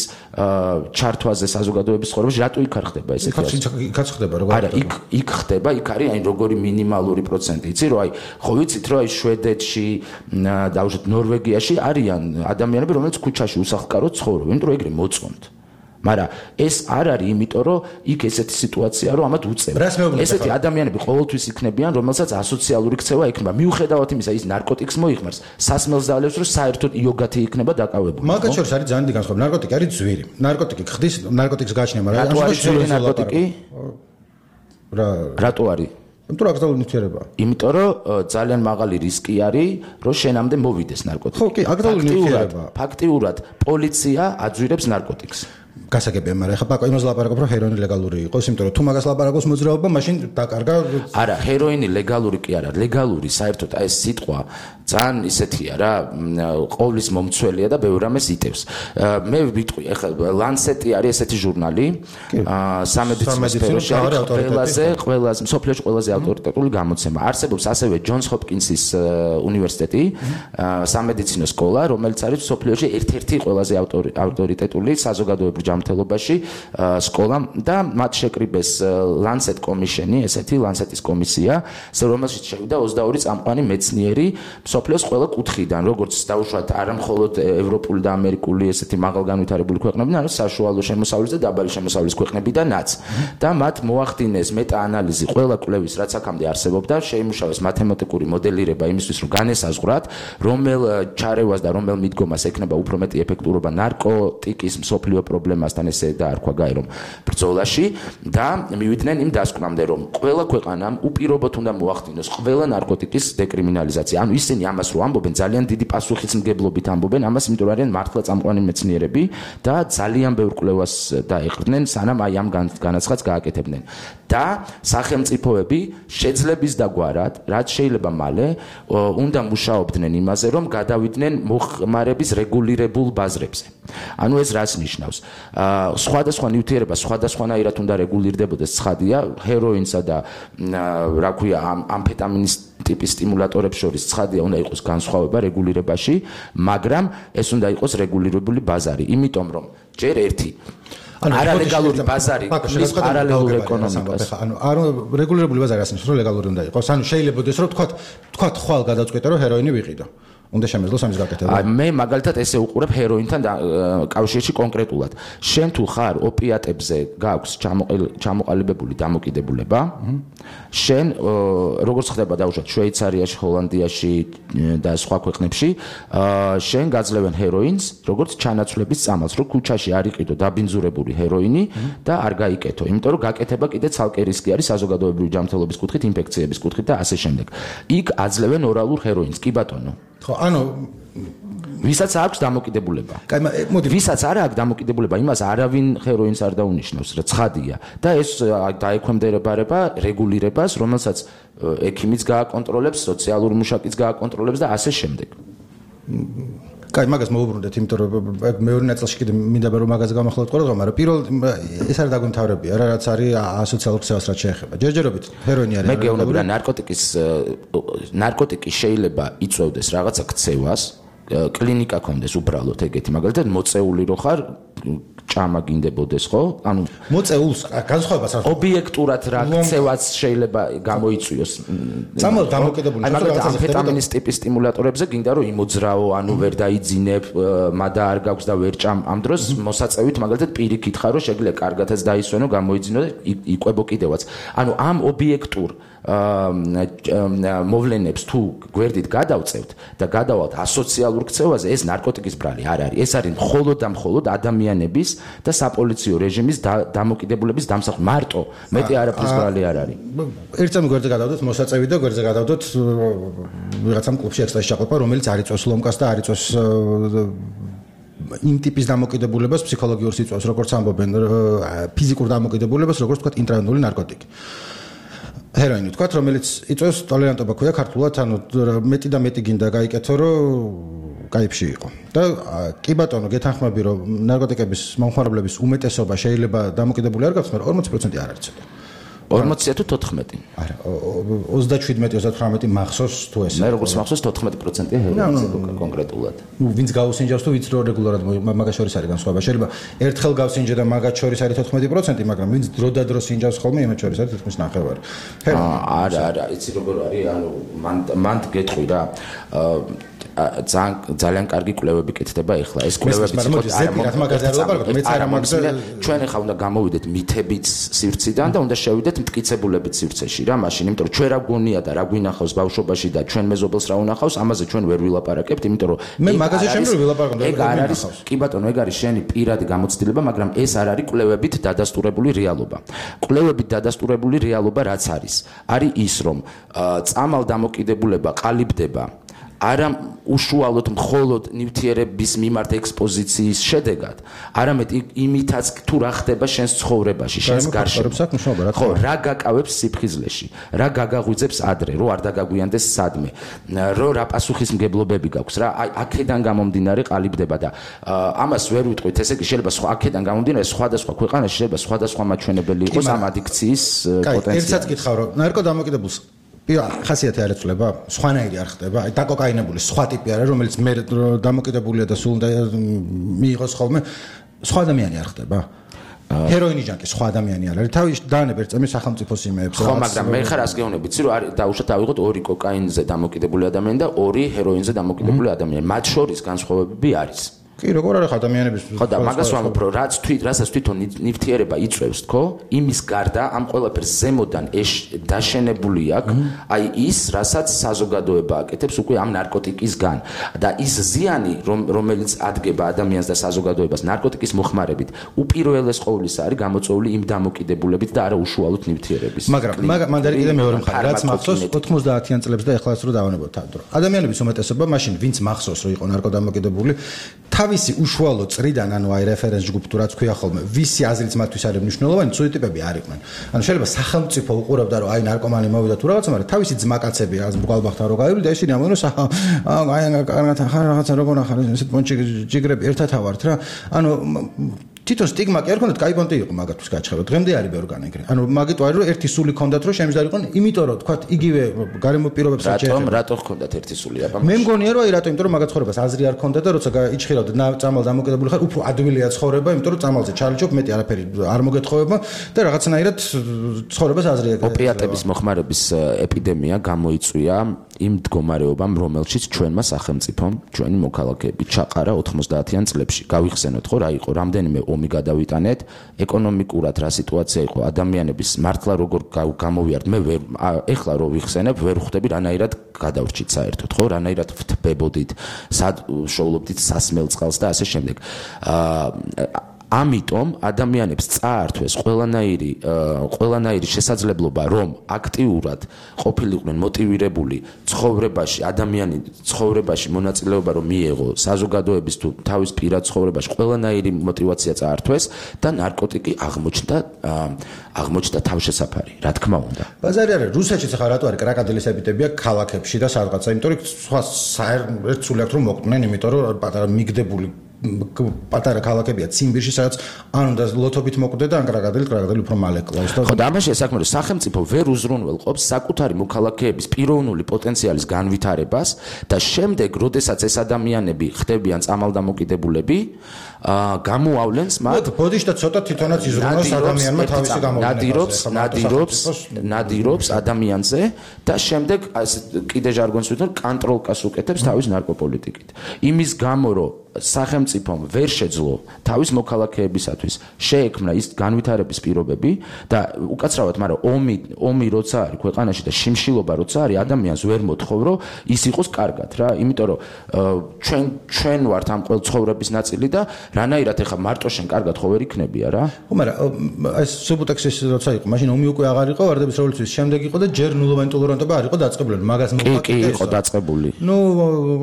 ჩართვაზე საზოგადოების ცხოვრებაში, რატო იქ არ ხდება ესეთი იქაც ხდება როგორ არა იქ ხდება იქ არის აი როგორი მინიმალური პროცენტი იცი რომ აი ხო ვიცით რომ აი შვედეთში დაუშვათ ნორვეგიაში არიან ადამიანები რომელიც ქუჩაში უსახლკაროდ ცხოვრობენ იმიტომ რომ ეგრე მოწონთ მაგრამ ეს არ არის იმიტომ რომ იქ ესეთი სიტუაცია რომ ამათ უწევთ ესეთი ადამიანები ყოველთვის იქნებიან რომელსაც ასოციალური ქცევა ექნება მიუხედავად იმისა ის ნარკოტიკს მოიხმარს სასმელს დაალევს რომ საერთოდ იოგათი იქნება დაკავებული მაგათ შორის არის ძალიან დიდი განსხვავება ნარკოტიკი არის ძვირი ნარკოტიკი ხდის ნარკოტიკს გააჩნია მაგრამ რატო არის ძვირი ნარკოტიკი რატო არის იმიტომ რომ აკრძალული ნივთიერებაა იმიტომ რომ ძალიან მაღალი რისკი არის რომ შენამდე მოვიდეს ნარკოტიკი ხო კი აკრძალული ნივთიერებაა ფაქტიურად პოლიცია აძვირებს ნარკოტიკს გასაგებია, მაგრამ ეხლა პაკო იმას ლაპარაკობ, რომ ჰეროინი ლეგალური იყოს, იმიტომ რომ თუ მაგას ლაპარაკობს მოძრაობა, მაშინ დაკარგა. არა, ჰეროინი ლეგალური კი არა, ლეგალური საერთოდ აი ეს სიტყვა ძალიან ისეთია რა, ყოვლის მომცველია და ბევრ რამეს იტევს. მე ვიტყვი, ეხლა ლანსეტი არის ესეთი ჟურნალი, სამედიცინო სფეროში ყველაზე მსოფლიოში ყველაზე ავტორიტეტული გამოცემა. არსებობს ასევე ჯონს ჰოპკინსის უნივერსიტეტი, სამედიცინო სკოლა, რომელიც არის მსოფლიოში ერთ-ერთი ყველაზე ავტორიტეტული საზოგადოებრივ ჯანმრთელობაში სკოლა და მათ შეკრიბეს ლანსეტ კომიშენი, ესეთი ლანსეტის კომისია, რომელშიც შევიდა 22 წამყვანი მეცნიერი მსოფლიოს ყველა კუთხიდან, როგორც დაუშვათ არა მხოლოდ ევროპული და ამერიკული ესეთი მაღალგანვითარებული ქვეყნები, არამედ საშუალო შემოსავლის და დაბალი შემოსავლის ქვეყნებიდანაც. და მათ მოახდინეს მეტაანალიზი ყველა კვლევის, რაც აქამდე არსებობდა, შეიმუშავეს მათემატიკური მოდელირება იმისთვის, რომ განესაზღვრათ, რომელ ჩარევას და რომელ მიდგომას ექნება უფრო მეტი ეფექტურობა ნარკოტიკის მსოფლიო პრობლემასთან ესე დაარქვა გაერომ ბრძოლაში და მივიდნენ იმ დასკვნამდე, რომ ყველა ქვეყანამ უპირობოდ უნდა მოახდინოს ყველა ნარკოტიკის დეკრიმინალიზაცია. ანუ ისინი ამას რო ამბობენ, ძალიან დიდი პასუხისმგებლობით ამბობენ ამას, იმიტომ რომ არიან მართლა წამყვანი მეცნიერები და ძალიან ბევრ კვლევას დაეყრდნენ, სანამ აი ამ განაცხადს გააკეთებდნენ. და სახელმწიფოები შეძლების დაგვარად, რაც შეიძლება მალე, უნდა მუშაობდნენ იმაზე, რომ გადავიდნენ მოხმარების რეგულირებულ ბაზრებზე. ანუ ეს რას ნიშნავს? სხვადასხვა ნივთიერება სხვადასხვანაირად უნდა რეგულირდებოდეს, ცხადია, ჰეროინსა და რა ქვია, ამფეტამინის ტიპის სტიმულატორებს შორის ცხადია უნდა იყოს განსხვავება რეგულირებაში, მაგრამ ეს უნდა იყოს რეგულირებული ბაზარი, იმიტომ რომ ჯერ ერთი არალეგალური ბაზარი ქმნის პარალელურ ეკონომიკას. ანუ რეგულირებული ბაზარი ასეც რომ ლეგალური უნდა იყოს. ანუ შეიძლება ის რომ თქვათ ხვალ გადაწყვეტა რომ ჰეროინი ვიყიდო. უნდა შემეძლოს ამის გაკეთება. მე მაგალითად ესე უყურებ ჰეროინთან კავშირში კონკრეტულად. შენ თუ ხარ ოპიატებზე გაქვს ჩამოყალიბებული დამოკიდებულება, შენ როგორც ხდება დაუშვათ შვეიცარიაში, ჰოლანდიაში და სხვა ქვეყნებში, შენ გაძლევენ ჰეროინს, როგორც ჩანაცვლების წამალს, რომ ქუჩაში არ იყიდო დაბინძურებული ჰეროინი და არ გაიკეთო, იმიტომ რომ გაკეთება კიდე ცალკე რისკი არის საზოგადოებრივი ჯანმრთელობის კუთხით, ინფექციების კუთხით და ასე შემდეგ. იქ აძლევენ ორალურ ჰეროინს, კი ბატონო. ხო, ანუ ვისაც აქვს დამოკიდებულება. კაი, მოდი, ვისაც არ აქვს დამოკიდებულება, იმას არავინ ჰეროინს არ დაუნიშნავს, რა ცხადია. და ეს დაექვემდებარება რეგულირებას, რომელსაც ექიმიც გააკონტროლებს, სოციალური მუშაკიც გააკონტროლებს და ასე შემდეგ. კაი, მაგას მოუბრუნდეთ, იმიტომ რომ მეორე ნაწილში კიდე მინდა რომ მაგას გამახვილოთ ყველგან, მაგრამ პირველ ეს არის დაგვიმთავრებია რა, რაც არის ასოციალურ ქცევას რაც შეეხება. ჯერჯერობით ჰეროინი არის. მე გეუბნები რა ნარკოტიკი შეიძლება იწვევდეს რაღაცა ქცევას, კლინიკა კონდეს უბრალოდ ეგეთი, მაგალითად მოწეული რო ხარ ჭამა გინდებოდეს, ხო? ანუ მოწეულს განსხვავებას არ ობიექტურად რა ქცევას შეიძლება გამოიწვიოს. წამალ დამოკიდებული რაღაცა ამფეტამინის ტიპის სტიმულატორებზე გინდა რომ იმოძრაო, ანუ ვერ დაიძინებ, მადა არ გაქვს და ვერ ჭამ. ამ დროს მოსაწევით მაგალითად პირიქით ხარ რომ შეგიძლია კარგათაც დაისვენო, გამოიძინო და იყვებო კიდევაც. ანუ ამ ობიექტურ მოვლენებს თუ გვერდით გადავწევთ და გადავალთ ასოციალურ ქცევაზე, ეს ნარკოტიკის ბრალი არ არის. ეს არის მხოლოდ და მხოლოდ ადამიანების და საპოლიციო რეჟიმის დამოკიდებულების დამსახურება. მარტო მეტი არაფრის ბრალი არ არის. ერთამ გვერდზე გადავდოთ მოსაწევი და გვერდზე გადავდოთ ვიღაცამ კლუბში ექსტრაში ჩაყოფა, რომელიც არ იწვევს ლომკას და არ იწვევს იმ ტიპის დამოკიდებულებას ფსიქოლოგიურ სიწვევს, როგორც ამბობენ, ფიზიკურ დამოკიდებულებას, როგორც თქვა ინტრავენული ნარკოტიკი. ჰეროინი თქვა, რომელიც იწვევს ტოლერანტობა ქვია ქართულად, ანუ მეტი და მეტი გინდა გაიკეთო, რომ კაიფში იყო. და კი ბატონო, გეთანხმები, რომ ნარკოტიკების მომხმარებლების უმეტესობა შეიძლება დამოკიდებული არ გახდეს, მაგრამ 40% არ არის ცოტა. 40 თუ 14? არა, 27-38 მახსოვს თუ ესე. მე როგორც მახსოვს 14%-ია ჰეროინზე კონკრეტულად. ნუ ვინც გავსინჯავს თუ ვინც რეგულარად მაგას შორის არის განსხვავება. შეიძლება ერთხელ გავსინჯე და მაგას შორის არის 14%, მაგრამ ვინც დროდადრო სინჯავს ხოლმე, იმათ შორის არის 9.5. არა, იცი როგორ არის, ანუ მან გეტყვი რა. ძალიან კარგი კვლევები კეთდება ეხლა. ეს კვლევები ჩვენ ეხლა უნდა გამოვიდეთ მითებით სივრციდან და უნდა შევიდეთ მტკიცებულებით სივრცეში რა, მაშინ, იმიტომ რომ ჩვენ რა გონია და რა გვინახავს ბავშვობაში და ჩვენ მეზობელს რა უნახავს, ამაზე ჩვენ ვერ ვილაპარაკებთ, იმიტომ რომ მე მაგაზე შემიძლია ვილაპარაკო, ეგ არ არის, კი ბატონო, ეგ არის შენი პირადი გამოცდილება, მაგრამ ეს არ არის კვლევებით დადასტურებული რეალობა. კვლევებით დადასტურებული რეალობა რაც არის ის, რომ წამალ დამოკიდებულება ყალიბდება არა უშუალოდ მხოლოდ ნივთიერების მიმართ ექსპოზიციის შედეგად, არამედ იმითაც თუ რა ხდება შენს ცხოვრებაში, შენს გარშემო. ხო, რა გაკავებს სიფხიზლეში, რა გაგაღვიძებს ადრე, რო არ დაგაგვიანდეს სადმე, რო რა პასუხისმგებლობები გაქვს, რა აქედან გამომდინარე ყალიბდება და ამას ვერ ვიტყვით, ესე იგი შეიძლება აქედან გამომდინარე სხვადასხვა ქვეყანაში შეიძლება სხვადასხვა მაჩვენებელი იყოს ამ ადიქციის პოტენციალი. ერთსაც გითხრა, რომ ნარკოდამოკიდებულს ხასიათი არ ეცვლება, სხვანაირი არ ხდება. აი დაკოკაინებული სხვა ტიპი არის, რომელიც მე დამოკიდებულია და სულ მიიღოს ხოლმე, სხვა ადამიანი არ ხდება. ჰეროინი ჯანკი სხვა ადამიანი არ არის. თავის დაანებერ წამი სახელმწიფოს იმეებს. ხო, მაგრამ მე ხარ ასე გეუბნები, იცი რომ არის დაუშვათ ავიღოთ 2 კოკაინზე დამოკიდებული ადამიანი და 2 ჰეროინზე დამოკიდებული ადამიანი. მათ შორის განსხვავებები არის. კი, როგორ არის ადამიანების ხო და მაგას ვამბობ, რომ რასაც თვითონ ნივთიერება იწვევს, თქო, იმის გარდა ამ ყველაფერს ზემოდან დაშენებული აქვს, აი ის, რასაც საზოგადოება აკეთებს უკვე ამ ნარკოტიკისგან და ის ზიანი, რომელიც ადგება ადამიანს და საზოგადოებას ნარკოტიკის მოხმარებით, უპირველეს ყოვლისა არის გამოწვეული იმ დამოკიდებულებით და არა უშუალოდ ნივთიერების. მაგრამ მანდარი კიდე მეორე მხარე, რაც მახსოვს 90-იან წლებს და ეხლაც რო დავანებოთ თავ დრო. ადამიანების უმეტესობა მაშინ ვინც მახსოვს რომ იყო ნარკოდამოკიდებული, თავისი უშუალო წრიდან, ანუ აი რეფერენს ჯგუფ თუ რაც ქვია ხოლმე, ვისი აზრით მათთვის არის მნიშვნელოვანი, ცუდი ტიპები არ იყვნენ. ანუ შეიძლება სახელმწიფო უყურებდა რომ აი ნარკომანი მოვიდა თუ რაღაცა, მაგრამ თავისი ძმაკაცები რაღაც ბუგალბახთან რო გავივლი და ისინი ამბობენ რომ აი კარგად ახლა რაღაცა როგორ ახლა ესეთ პონჩი ჯიგრები ერთად ავართ რა. ანუ თვითონ სტიგმა კი არ ქონდათ, კაი პონტი იყო მაგათთვის გაჩხება. დღემდე არის ბევრგან ეგრე. ანუ მაგიტო არის რომ ერთი სული ქონდათ რომ შემიძლია, იმიტომ რომ თქვა იგივე გარემო პირობებს აჭერებდა. რატო ქონდათ ერთი სული აბა? მე მგონია რომ აი რატო, იმიტომ რომ მაგათ ცხოვრებას აზრი არ ქონდა და როცა იჩხირავდა წამალ დამოკიდებული ხარ, უფრო ადვილია ცხოვრება, იმიტომ რომ წამალზე ჩალიჩობ, მეტი არაფერი არ მოგეთხოვება და რაღაცნაირად ცხოვრებას აზრი აკეთებ. ოპიატების მოხმარების ეპიდემია გამოიწვია იმ მდგომარეობამ, რომელშიც ჩვენმა სახელმწიფომ, ჩვენი მოქალაქეები ჩაყარა 90-იან წლებში. გავიხსენოთ ხო რა იყო, რამდენიმე ომი გადავიტანეთ, ეკონომიკურად რა სიტუაცია იყო, ადამიანების მართლა როგორ გამოვიართ, მე ვერ ეხლა რო ვიხსენებ, ვერ ხვდები რანაირად გადავრჩით საერთოდ, ხო, რანაირად ვთბებოდით, სად შოულობდით სასმელ წყალს და ასე შემდეგ. ამიტომ ადამიანებს წაართვეს ყველანაირი შესაძლებლობა, რომ აქტიურად ყოფილიყვნენ მოტივირებული ცხოვრებაში, ადამიანი ცხოვრებაში მონაწილეობა რომ მიეღო, საზოგადოების თუ თავის პირად ცხოვრებაში ყველანაირი мотиваცია წაართვეს და ნარკოტიკი აღმოჩნდა თავშესაფარი, რა თქმა უნდა. ბაზარი არის, რუსეთშიც ახლა რატო არის კრაკადილის ეპიდემია ქალაქებში და სადღაცა, იმიტომ რომ სხვა საერთოდ სულ აქვს რომ მოკვდნენ, იმიტომ რომ პატარა მიგდებული პატარა ქალაქებია ციმბირში, სადაც ან უნდა ლოთობით მოკვდე და ან კრაკადილი უფრო მალე კლავს. ხო და ამაში საქმე რომ სახელმწიფო ვერ უზრუნველყოფს საკუთარი მოქალაქეების პიროვნული პოტენციალის განვითარებას და შემდეგ, როდესაც ეს ადამიანები ხდებიან წამალდამოკიდებულები, გამოავლენს მათ ბოდიშთა ცოტა თვითონაც იზრუნოს ადამიანმა თავისი გამოვლენა. ნადირობს ადამიანზე და შემდეგ კიდე ჟარგონს ვიტყვი, კონტროლკას უკეთებს თავის ნარკოპოლიტიკით. იმის გამო რომ სახელმწიფომ ვერ შეძლო თავის მოქალაქეებისათვის შეექმნა ის განვითარების პირობები და უკაცრავად, მაგრამ ომი როცა არის ქვეყანაში და შიმშილობა როცა არის, ადამიანს ვერ მოთხოვ რომ ის იყოს კარგად რა, იმიტომ რომ ჩვენ ვართ ამ ყოველ ცხოვრების ნაწილი და რანაირად ეხა მარტო შენ კარგად ხო ვერ იქნებია რა. ხო, მაგრამ ეს სუბუტექსის როცა იყო, მაშინ ომი უკვე აღარ იყო, ვარდების რევოლუციის შემდეგ იყო და ჯერ ნულოვანი ტოლერანტობა არ იყო დაწყებული, მაგას კი იყო დაწყებული.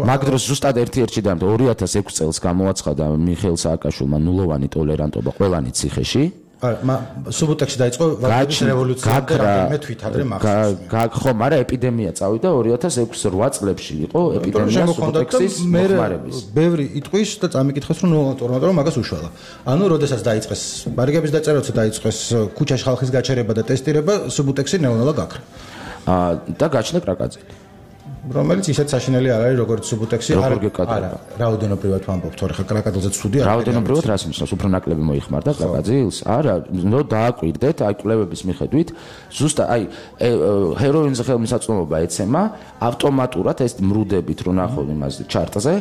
მაგ დროს ზუსტად 1-1 2006 წელს გამოაცხადა მიხეილ სააკაშვილმა ნულოვანი ტოლერანტობა ყველანი ციხეში. სუბუტექსი დაიწყო ვაგნერის რევოლუცია და რამდენიმე თვით ადრე მახსოვს. ხო, მაგრამ ეპიდემია წავიდა 2006-8 წლებში იყო ეპიდემია სუბუტექსის მოხმარების. ბევრი იტყვის და წამიკითხეს რომ ნულოვანი მაგას უშველა. ანუ როდესაც დაიწყეს ბარიგების დაწერა, როცა დაიწყეს ქუჩაში ხალხის გაჩერება და ტესტირება, სუბუტექსი ნელა გაქრა. და გაჩნდა კრაკაძელი. რომელიც ისეთ საშინელი არ არის როგორც სუბუტექსი არა რაოდენობრივად ვამბობ თორე ხა კრაკაძეზე ცუდი არ რაოდენობრივად რას ნიშნავს უფრო ნაკლები მოიხმარდა კრაკაძილს არა ნუ დააკვირდეთ აი კვლევების მიხედვით ზუსტად აი ჰეროინზე ხელმისაწვდომობა ეცემა ავტომატურად ეს მრუდებით რო ნახო იმას ჩარტზე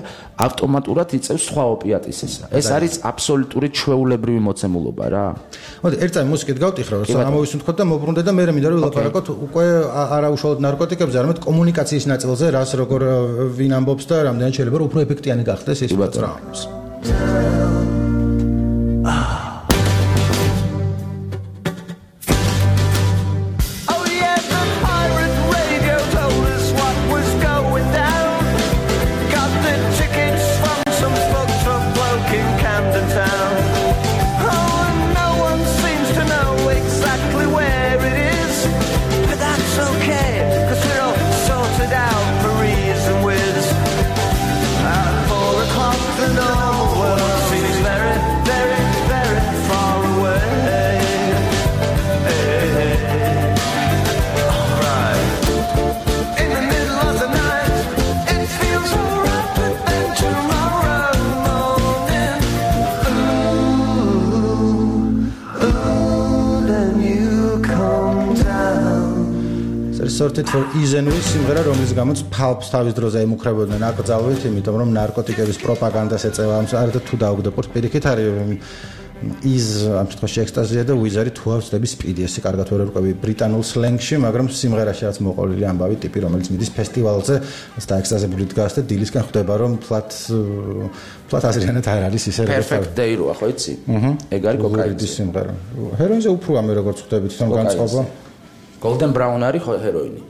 ავტომატურად იწევს სხვა ოპიატისისა ეს არის აბსოლუტური ჩვეულებრივი მოცემულობა რა მოდი ერთ წამი მუსიკით გავტიხრო რომ ამოვისუნთქოთ და მოbrunდე და მე მინდა რომ ვილაპარაკოთ უკვე არაუშუალოდ ნარკოტიკებზე არამედ კომუნიკაციის ნაწილზე რას როგორ ვინ ამბობს და რამდენად შეიძლება რომ უფრო ეფექტიანი გახდეს ეს პროგრამის. Sorted for Izenui სიმღერა რომლის გამოც ფალფს თავის დროზე ემუქრებოდნენ აკრძალვით იმიტომ რომ ნარკოტიკების პროპაგანდას ეწევა ამ საერთოდ თუ დაუგდებოდ პირიქით არის ის ამ შემთხვევაში ექსტაზია და ვიზარი თუ ავწდები სპიდი ესე კარგად ვერ ვერკვევი ბრიტანულ სლენგში მაგრამ სიმღერაში რაც მოყოლილი ამბავი ტიპი რომელიც მიდის ფესტივალზე დაექსტაზებული დგას და დილისკენ ხვდება რომ ფლატ აზრიანად არ არის ისე Perfect Day როა ხო იცი? ეგ არის კოკაინის სიმღერა ჰეროინზე უფრო ამე როგორც ხვდებით თვითონ განწყობა Golden Brown არის ჰეროინი.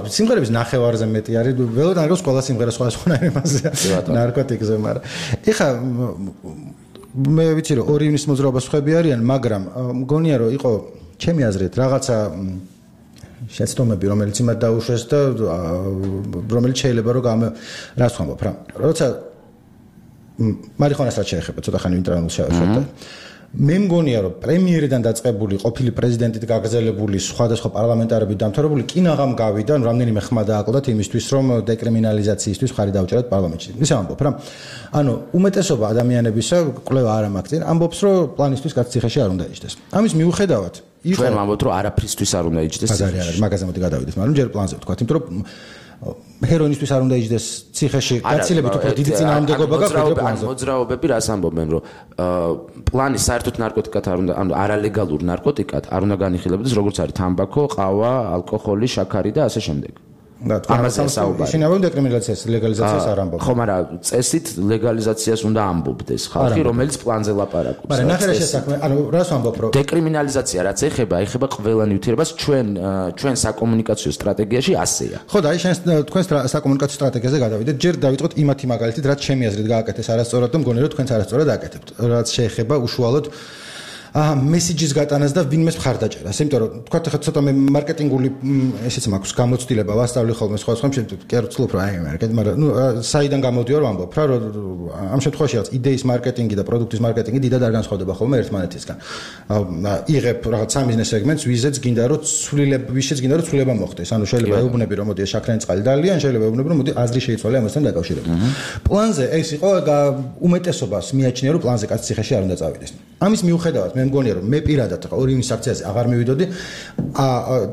სიმღერების ნახევარზე მეტი არის. ველოდან არის ყველა სიმღერა სხვადასხვანაირი მასია. ნარკოტიკზე, მაგრამ ეხა მე ვიცი რომ ორი ივნის მოძრაობას ხვები არიან, მაგრამ მგონია რომ იყო ჩემი აზრით რაღაცა შეცდომები, რომელიც იმად დაუშვეს და რომელიც შეიძლება რომ რას ვამბობ რა. როცა მარიხუანას რაც შეეხება, ცოტა ხანი ინტერნეტში შევხედე. მე მგონია რომ პრემიერიდან დაწყებული ყოფილი პრეზიდენტით გაგრძელებული სხვადასხვა პარლამენტარები დამთავრებული კინაღამ გავიდა, რამდენიმე ხმა დააკლდათ იმისთვის, რომ დეკრიმინალიზაციისთვის ხარი დაუჭერათ პარლამენტში. ისე ამბობ რა. ანუ უმეტესობა ადამიანებისა, კვლევა არ ამაგწინ, ამბობს, რომ პლანისთვის კაც ციხეში არ უნდა იჯდეს. ამის მიუხედავად, ჩვენ ვამბობთ, რომ არაფრისთვის არ უნდა იჯდეს ციხეში. მაგაზე მოდი გადავიდეთ, მაგრამ ჯერ პლანზე ვთქვა, იმიტომ რომ ჰეროინისთვის არ უნდა იჯდეს ციხეში, გაცილებით უფრო დიდი წინააღმდეგობა გაქვს ვიდრე პლანზე. მოძრაობები რას ამბობენ, რომ პლანი საერთოდ ნარკოტიკად არ უნდა, ანუ არალეგალურ ნარკოტიკად არ უნდა განიხილებოდეს, როგორც არის თამბაქო, ყავა, ალკოჰოლი, შაქარი და ასე შემდეგ. ამაზე საუბარი. ისინი ამბობენ დეკრიმინალიზაციას, ლეგალიზაციას არ ამბობენ. ხო, მაგრამ წესით ლეგალიზაციას უნდა ამბობდეს ხალხი, რომელიც პლანზე ლაპარაკობს. მაგრამ ნახე რა შესაქმე, ანუ რას ვამბობ, რომ დეკრიმინალიზაცია რაც ეხება ყველა ნივთიერებას ჩვენ საკომუნიკაციო სტრატეგიაში ასეა. ხო და აი შენ თქვენ საკომუნიკაციო სტრატეგიაზე გადავიდეთ, ჯერ დავიწყოთ იმათი მაგალითით, რაც ჩემი აზრით გააკეთეს არასწორად და მგონი რომ თქვენც არასწორად აკეთებთ. რაც შეეხება უშუალოდ მესიჯის გატანას და ვინმეს მხარდაჭერას. იმიტომ რომ თქვა ხა ცოტა მე მარკეტინგული ესეც მაქვს გამოცდილება ვასწავლი ხოლმე სხვა შემთხვევაში კი არ ვცდილობ რა აი მარკეტინგი, მაგრამ ნუ საიდან გამოდიო რომ ამბობ რა რომ ამ შემთხვევაში რაც იდეის მარკეტინგი და პროდუქტის მარკეტინგი დიდად არ განსხვავდება ხოლმე ერთმანეთისგან. იღებ რაღაც სამიზნეს სეგმენტს, ვიზეც გინდა რომ ვიშეც გინდა რომ ცვლილება მოხდეს. ანუ შეიძლება ეუბნები რომ მოდი შაქრიანი წყალი დალიან, შეიძლება ეუბნები რომ მოდი აზრი შეიცვალე ამასთან დაკავშირებით. პლანზე ეს იყო უმეტესობას მიაჩნია რომ პლანზე კაც ციხეში არ უნდა წავიდეს. ამის მიუხედავად მე მგონია რომ მე პირადად რა ორი ივნის აქციაზე აღარ მივიდოდი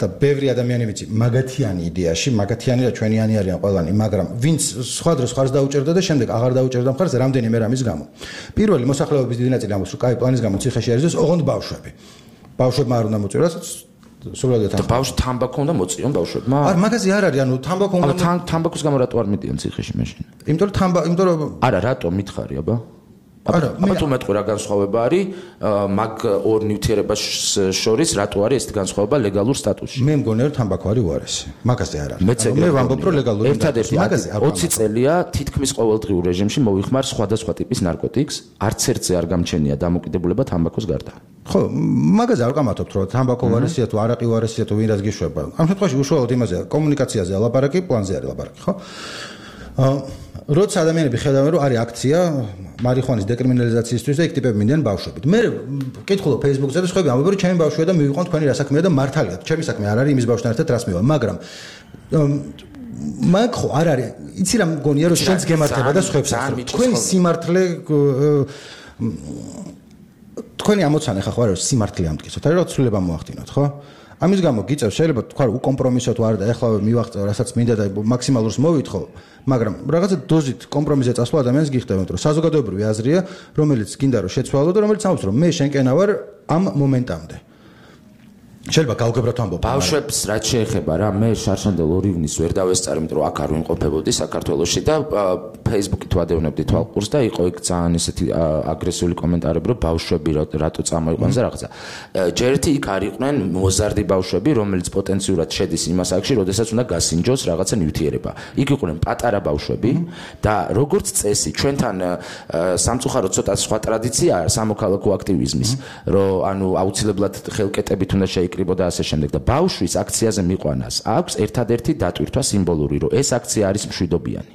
და ბევრი ადამიანი ვიცი მაგათიანი იდეაში მაგათიანი და ჩვენიანი არიან ყველანი მაგრამ ვინც სხვა დროს ხარს დაუჭერდა და შემდეგ აღარ დაუჭერდა ხარს რამდენიმე რამის გამო პირველი მოსახლეობის დიდი ნაწილი ამბობს რომ კაი პლანის გამო ციხეში არის ოღონდ ბავშვები ბავშვებმა არ უნდა მოწიროს სულადად და ბავშვ თამბაქო უნდა მოწიონ ბავშვებმა არ მაგაზე არ არის ანუ თამბაქო უნდა თამბაქოს გამო რატო არ მიდიან ციხეში მაშინ იმიტომ რომ არა რატო მითხარი აბა აბა თუ მეტყვი რა განსხვავება არის მაგ ორ ნივთიერებას შორის რატო არის ეს განსხვავება ლეგალურ სტატუსში? მე მგონია რომ თამბაქო არის უარესი. მაგაზე არ არის. მე ვამბობ რომ ლეგალური ერთადერთი 20 წელია თითქმის ყოველდღიურ რეჟიმში მოვიხმარ სხვადასხვა ტიპის ნარკოტიკს, არც ერთზე არ გამჩენია დამოკიდებულება თამბაქოს გარდა. ხო, მაგაზე არ ვკამათობთ რომ თამბაქო უარესია თუ არაყი უარესია თუ ვინ რაც გიშვება. ამ შემთხვევაში უშუალოდ იმაზე კომუნიკაციაზე ლაპარაკი, პლანზე არის ლაპარაკი, ხო? როცა ადამიანები ხედავენ რომ არის აქცია მარიხუანის დეკრიმინალიზაციისთვის და იქ ტიპები მინდიან ბავშვებით. მე ვკითხულობ Facebook-ზე და სხვაები ამბობენ რომ ჩემი ბავშვია და მივიყვან თქვენი რა საქმეა და მართალია ჩემი საქმე არ არის იმის ბავშვთან ერთად რას მივა, მაგრამ მაგ ხო არ არის. იცი რა მგონია რომ შენც გემართება და სხვებსაც. თქვენი სიმართლე თქვენი ამოცანა ხა ხო არის სიმართლე ამტკიცოთ. არის რა ცვლილება მოახდინოთ, ხო? ამის გამო გიწევს შეიძლება თქვა რომ უკომპრომისო თუ არა და ეხლა მივაღწევ რასაც მინდა და მაქსიმალურს მოვითხოვ, მაგრამ რაღაცა დოზით კომპრომისზე წასვლა ადამიანს გიხდებათ რომ საზოგადოებრივი აზრია, რომელიც გინდა რომ შეცვალო და რომელიც ამბობს რომ მე შენკენა ვარ ამ მომენტამდე. შეიძლება გავგებროთ ამბობ. ბავშვებს რაც შეეხება რა, მე შარშანდელ ორივნის ვერ დავესწარი, იმიტომ რომ აქ არ ვიმყოფებოდი საქართველოში და Facebook-ით ვადევნებდი თვალყურს და იყო იქ ძალიან ესეთი აგრესიული კომენტარები, რომ ბავშვები რატო წამოიყვანს და რაღაცა. ჯერეთი იქ არ იყვნენ მოზარდი ბავშვები, რომელიც პოტენციურად შედის იმას აქში, როდესაც უნდა გასინჯოს რაღაცა ნივთიერება. იქ იყვნენ პატარა ბავშვები და როგორც წესი, ჩვენთან სამწუხაროდ ცოტა სხვა ტრადიციაა სამოქალაქო აქტივიზმის, რომ ანუ აუცილებლად ხელკეტებით უნდა შეიკრიბო და ასე შემდეგ და ბავშვის აქციაზე მიყვანას აქვს ერთადერთი დატვირთვა სიმბოლური, რომ ეს აქცია არის მშვიდობიანი.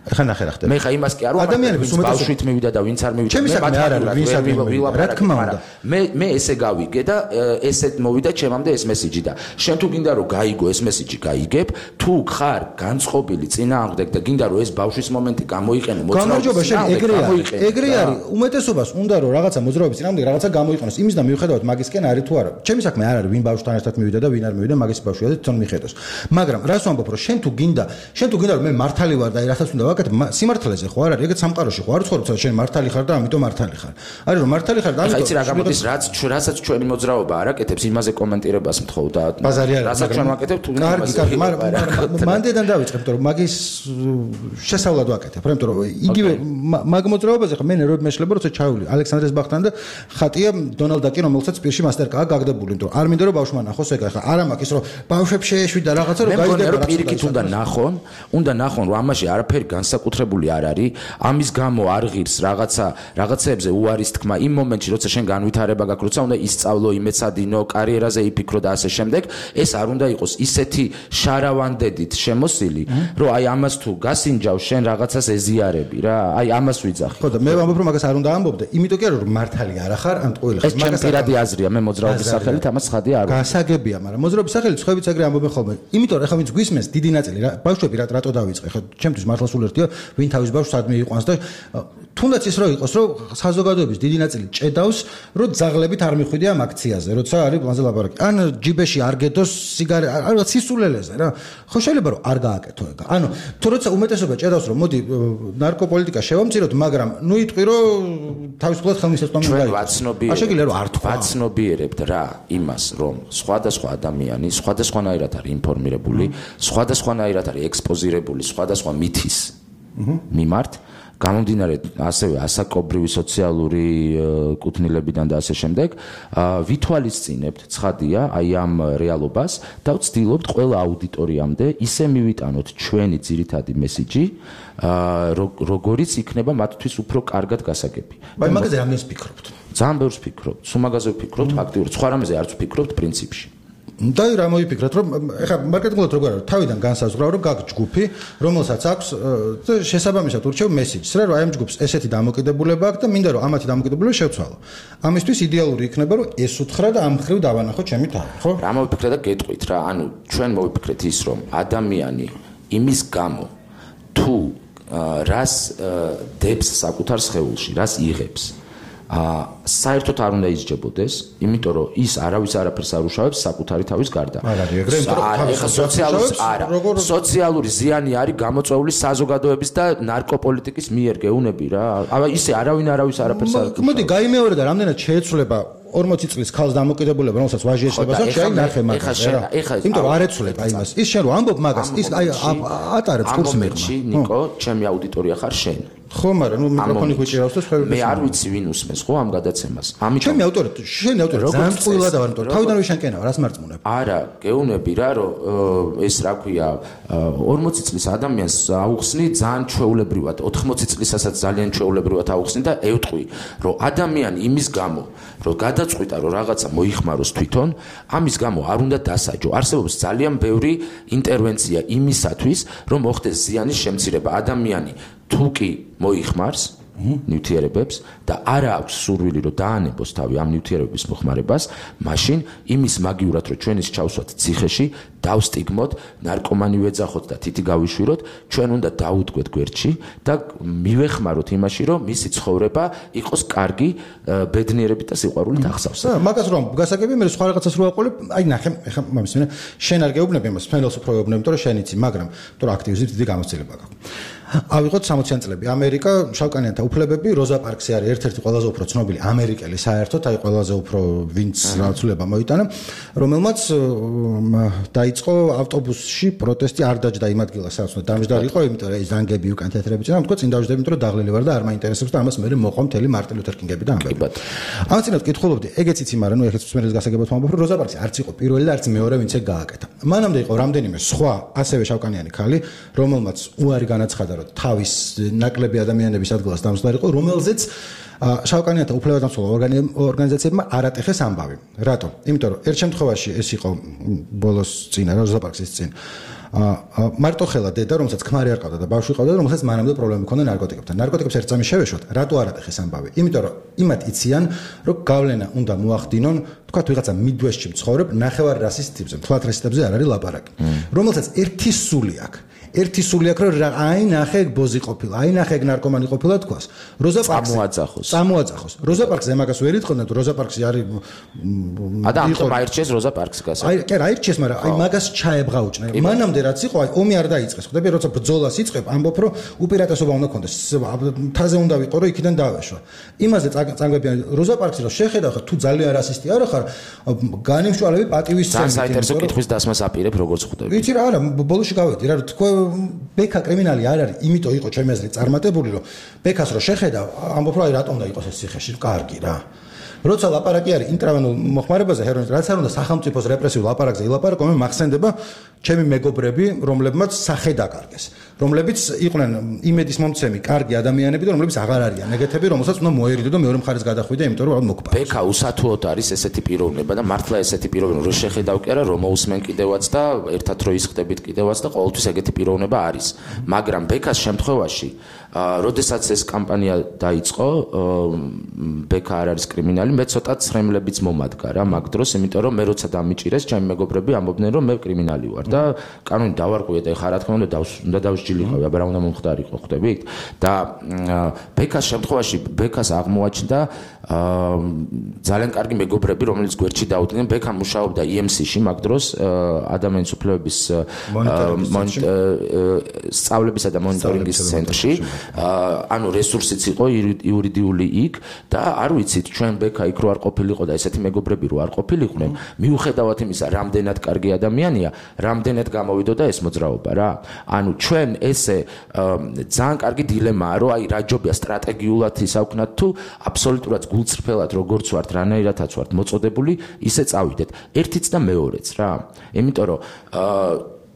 ხა ნახე რა ხდება. მე ხა იმას კი არ ვამბობ. ადამიანების ბავშვით მივიდა და ვინც არ მივიდა. ჩემი საქმე არ არის, ვინც არ მივიდა. რა თქმა უნდა. მე ესე გავიგე და ესეთ მოვიდა ჩემამდე ეს მესიჯი და შენ თუ გინდა რომ გაიგო ეს მესიჯი, გაიგებ. თუ ხარ განწყობილი წინააღმდეგ და გინდა რომ ეს ბავშვის მომენტი გამოიყენო, გამარჯობა შენ ეგრე არის. უმეტესობას უნდა რომ რაღაცა მოძრაობის წინააღმდეგ რაღაცა გამოიყენოს. იმის და მიუხედავად მაგისკენ არის თუ არა. ჩემი საქმე არ არის ვინ ბავშვთან ერთად მივიდა და ვინ არ მივიდა, მაგის ბავშვია და თვითონ მიხედოს. მაგრამ რას ვამბობ რომ შენ თუ გინდა რომ მე მართალი ვარ და რასაც უნდა ვაკეთებ, სიმართლეზე ხო არ არის, ეგეც სამყაროში ხო არ ცხოვრობ, შენ მართალი ხარ და ამიტომ მართალი ხარ. არის რომ მართალი ხარ და ამიტომ იცი რა გამოდის, რასაც ჩვენი მოძრაობა არ აკეთებს, იმაზე კომენტირებას მთხოვ და რასაც ჩვენ ვაკეთებ, თუ კარგი, მანდედან დავიწყებ, რომ მაგის შესავლად ვაკეთებ, იმიტომ რომ იგივე მაგ მოძრაობაზე ხო მე ნერვები მეშლება, როცა ჩავული ალექსანდრეს ბახთან და ხატია დონალდ დაკი, რომელსაც პირში მასტერკა გაგდებული, იმიტომ რომ არ მინდა რომ ბავშვმა ნახოს ეგ ხა არა მაქვს რომ ბავშვებს შეეშვიდა რაღაცა რომ გაიგება რა პირიქით უნდა ნახონ რომ ამაში არაფერი განსაკუთრებული არ არის, ამის გამო არ ღირს რაღაცებზე უარის თქმა იმ მომენტში, როცა შენ განვითარება გაქვს, როცა უნდა ისწავლო, იმეცადინო, კარიერაზე იფიქრო და ასე შემდეგ, ეს არ უნდა იყოს ისეთი შარავანდედით შემოსილი, რომ აი ამას თუ გასინჯავ შენ რაღაცას ეზიარები რა, აი ამას ვიძახი. ხო და მე ვამბობ რომ მაგას არ უნდა ამბობდე, იმიტომ კი რომ მართალი არ ახარ, ან ყოველ ხელ მაგას პირადი აზრია, მე მოძრაობის სახელით ამას ხადი არ ვარ. გასაგებია, მაგრამ მოძრაობის სახელით სხვაებიც ეგრე ამბობენ ხოლმე. იმიტომ რომ ეხლა ვინც გვისმენს დიდი ნაწილი რა, ბავშვები რატო დავიწყე, ხო ჩემთვის მართლა სულ ერთია, ვინ თავის ბავშვს ადმე იყვანს და თუნდაც ის რო იყოს, რომ საზოგადოების დიდი ნაწილი ჭედავს, რომ ძაღლებით არ მიხვიდე ამ აქციაზე, როცა არის პლანზე ლაპარაკი. ან ჯიბეში არ გედოს სიგარეტა, არა სისულელეზე რა. ხო შეიძლება რომ არ გააკეთო ეგ. ანუ თუ როცა უმეტესობა ჭედავს, რომ მოდი ნარკოპოლიტიკა შევამციროთ, მაგრამ ნუ იტყვი რომ თავისუფლად ხელმისაწვდომი უნდა იყოს. ჩვენ შეგიძლია რომ არ თქვა. ვაცნობიერებთ რა იმას, რომ სხვადასხვა ადამიანი სხვადასხვანაირად არის ინფორმირებული, სხვადასხვანაირად არის ექსპოზირებული სხვადასხვა მითის მიმართ, გამომდინარე ასევე ასაკობრივი სოციალური კუთვნილებიდან და ასე შემდეგ, ვითვალისწინებთ ცხადია აი ამ რეალობას და ვცდილობთ ყველა აუდიტორიამდე ისე მივიტანოთ ჩვენი ძირითადი მესიჯი, როგორიც იქნება მათთვის უფრო კარგად გასაგები. მაგრამ მაგაზე რამდენს ფიქრობთ? ძალიან ბევრს ვფიქრობთ, სულ მაგაზე ვფიქრობთ ფაქტიურად, სხვა რამეზე არც ვფიქრობთ პრინციპში. და რა მოიფიქრეთ რომ ეხლა მარკეტინგულად როგორ არის თავიდან განსაზღვრავ რომ გაქვს ჯგუფი რომელსაც აქვს შესაბამისად ურჩევ მესიჯს რა რომ აი ამ ჯგუფს ესეთი დამოკიდებულება აქვს და მინდა რომ ამათი დამოკიდებულება შევცვალო. ამისთვის იდეალური იქნება რომ ეს უთხრა და ამ ხრივ დავანახო ჩემი თავი, ხო? რა მოვიფიქრე და გეტყვით რა, ანუ ჩვენ მოვიფიქრეთ ის რომ ადამიანი იმის გამო თუ რას დებს საკუთარ სხეულში, რას იღებს საერთოდ არ უნდა ისჯებოდეს, იმიტომ რომ ის არავის არაფერს არ უშავებს საკუთარი თავის გარდა. სოციალური ზიანი არის გამოწვეული საზოგადოების და ნარკოპოლიტიკის მიერ გეუნები რა. ისე არავის არაფერს არ უშავებს. მოდი გაიმეორე და რამდენად შეეცვლება 40 წლის ქალს დამოკიდებულება, რომელსაც ვაჟი ეშება, შენ ნახე მაგას. იმიტომ რომ არ ეცვლებ აი იმას. ის შენ რომ ამბობ მაგას, ის აი ატარებს კურს მერმა. ნიკო, ჩემი აუდიტორია ხარ შენ. ხო, მაგრამ ნუ მიკროფონი გვიჭირავს და სხვა. მე არ ვიცი ვინ უსმენს ხო ამ გადაცემას. ამიტომ ჩემი ავტორი, შენი ავტორი ძალიან წვილა და ვარ, თავიდან რომ შენკენაა, რას მარწმუნებ? არა, გეუნები რა, რომ ეს რა ქვია, 40 წლის ადამიანს აუხსნი ძალიან ჩვეულებრივად, 80 წლისასაც ძალიან ჩვეულებრივად აუხსნი და ევტყვი, რომ ადამიანი იმის გამო, რომ გადაწყვიტა, რომ რაღაცა მოიხმაროს თვითონ, ამის გამო არ უნდა დასაჯო. არსებობს ძალიან ბევრი ინტერვენცია იმისათვის, რომ მოხდეს ზიანის შემცირება. ადამიანი თუ კი მოიხმარს ნივთიერებებს და არა აქვს სურვილი რომ დაანებოს თავი ამ ნივთიერებების მოხმარებას, მაშინ იმის მაგივრად რომ ჩვენ ის ჩავსვათ ციხეში, დავსტიგმოთ, ნარკომანი ვეძახოთ და თითი გავიშვიროთ, ჩვენ უნდა დაუდგეთ გვერდში და მივეხმაროთ იმაში, რომ მისი ცხოვრება იყოს კარგი, ბედნიერებით და სიყვარულით აღსავსე. მაგას რომ გასაგები მე სხვა რაღაცას რო აყოლებ, აი ნახე, ეხა მომის მე შენ არ გეუბნები იმას, ფენელს უფრო გეუბნები, იმიტომ რომ შენ იცი, მაგრამ იმიტომ რომ აქტივიზმის დიდი გამოცდილება გაქვს. ავიღოთ 60-იან წლები ამერიკა, შავკანიანთა უფლებები, როზა პარქსი არის ერთ-ერთი ყველაზე უფრო ცნობილი ამერიკელი საერთოდ, აი ყველაზე უფრო ვინც რაცულება მოიტანა, რომელმაც დაიწყო ავტობუსში პროტესტი, არ დაჯდა იმ ადგილას, სადაც უნდა დამჯდარი იყო, იმიტომ რომ ეს ზანგები უკან თეთრები წინა, თქვა წინ დავჯდები, იმიტომ რომ დაღლილი ვარ და არ მაინტერესებს და ამას მე მოყვა მთელი მარტინ ლუთერ კინგები და ამბები. ამას წინათ კითხულობდი, ეგეც იცი, მაგრამ ნუ ეხლა მსმენელს გასაგებად ვამბობ, რომ როზა პარქსი არც იყო პირველი და არც მეორე, ვინც ეგ გააკეთა. მანამდე იყო რამდენიმე სხვა, ასევე შავკანიანი ქალი, რომელმაც უარი განაცხადა თავის ნაკლები ადამიანების ადგილას დამსდარი იყო, რომელზეც შავკანიანთა უფლებადამცველ ორგანიზაციებმა არ ატეხეს ამბავი. რატომ? იმიტომ რომ ერთ შემთხვევაში ეს იყო ბოლოს წინა, როზა პარქსის წინ. მარტო ხელა დედა, რომელსაც ქმარი არ ყავდა და ბავშვი ყავდა, რომელსაც მანამდე პრობლემა ჰქონდა ნარკოტიკებთან. ნარკოტიკებს ერთ წამი შევეშვათ, რატო არ ატეხეს ამბავი? იმიტომ რომ იმათ იციან, რომ გავლენა უნდა მოახდინონ, თქვა ვიღაცა მიდვესტში მცხოვრებ ნახევარ რასის ტიპზე, მთლად რასისტებზე არ არის ლაპარაკი. რომელსაც ერთი სული აქვს. ერთი სული აქვს, რომ აი ნახე ბოზი ყოფილა, აი ნახე ნარკომანი ყოფილა თქვას. როზა პარკს წამოაძახოს. როზა პარკზე მაგას ვერ იტყოდნენ, როზა პარკსი არის ადამიანთან აირჩიეს როზა პარკს გასა. აი, კი, აირჩიეს, მაგრამ აი მაგას ჩაებღაუჭნა. მანამდე რაც იყო, აი ომი არ დაიწყეს. ხვდები, როცა ბრძოლას იწყებ, ამბობ, რომ უპირატესობა უნდა კონდეს. თაზე უნდა ვიყო, რომ იქიდან დავეშვა. იმაზე წამგვებიან როზა პარკსი, რომ შეხედავ ხარ, თუ ძალიან რასისტი არ ხარ, განიმშვალები პატივის წამს საინტერესო კითხვის დასმას აპირებ, როგორც ხვდები. ვიცი რა, არა, ბოლოში გავედი რა, თქვა ბექა კრიმინალი არ არის, იმიტომ იყო ჩემი აზრით წარმატებული, რომ ბექას რო შეხედავ, ამბობ რა, რატომ უნდა იყოს ეს ციხეში, კარგი რა. როცა ლაპარაკი არის ინტრავენულ მოხმარებაზე, ჰეროინის, რაც არ უნდა სახელმწიფოს რეპრესიულ ლაპარაკზე ილაპარაკო, მე მახსენდება ჩემი მეგობრები, რომლებმაც სახე დაკარგეს, რომლებიც იყვნენ იმედის მომცემი, კარგი ადამიანები და რომლებიც აღარ არიან ეგეთები, რომელსაც უნდა მოერიდო და მეორე მხარეს გადახვიდე, იმიტომ რომ მოკპა. ბექა უსათუოდ არის ესეთი პიროვნება და მართლა ესეთი პიროვნება, რო შეხედავ კი არა, რომ მოусმენ კიდევაც და ერთად რო ისხდებით კიდევაც და ყოველთვის ეგეთი პიროვნება არის. მაგრამ ბექას შემთხვევაში, როდესაც ეს კამპანია დაიწყო, ბექა არ არის კრიმინალი, მე ცოტა ცრემლებიც მომადგა რა მაგ დროს, იმიტომ რომ მე როცა დამიჭირეს, ჩემი მეგობრები ამბობდნენ, რომ მე კრიმინალი ვარ და კანონი დავარღვიე და ეხლა რა თქმა უნდა დავსჯილიყავი, აბა რა უნდა მომხდარიყო, ხვდებით? და ბექას შემთხვევაში ბექას აღმოაჩნდა ძალიან კარგი მეგობრები, რომელიც გვერდში დაუდგნენ. ბექა მუშაობდა EMC-ში მაგ დროს, ადამიანის უფლებების სწავლებისა და მონიტორინგის ცენტრში. ანუ რესურსიც იყო იურიდიული იქ და არ ვიცით ჩვენ ბექა იქ რო არ ყოფილიყო და ესეთი მეგობრები რო არ ყოფილიყვნენ, მიუხედავად იმისა, რამდენად კარგი ადამიანია, რამდენად გამოვიდოდა ეს მოძრაობა რა. ანუ ჩვენ ესე ძალიან კარგი დილემაა, რომ აი რა ჯობია სტრატეგიულად ისაუქნათ თუ აბსოლუტურად გულწრფელად როგორც ვართ, რანაირადაც ვართ მოწოდებული, ისე წავიდეთ. ერთიც და მეორეც რა. იმიტომ რომ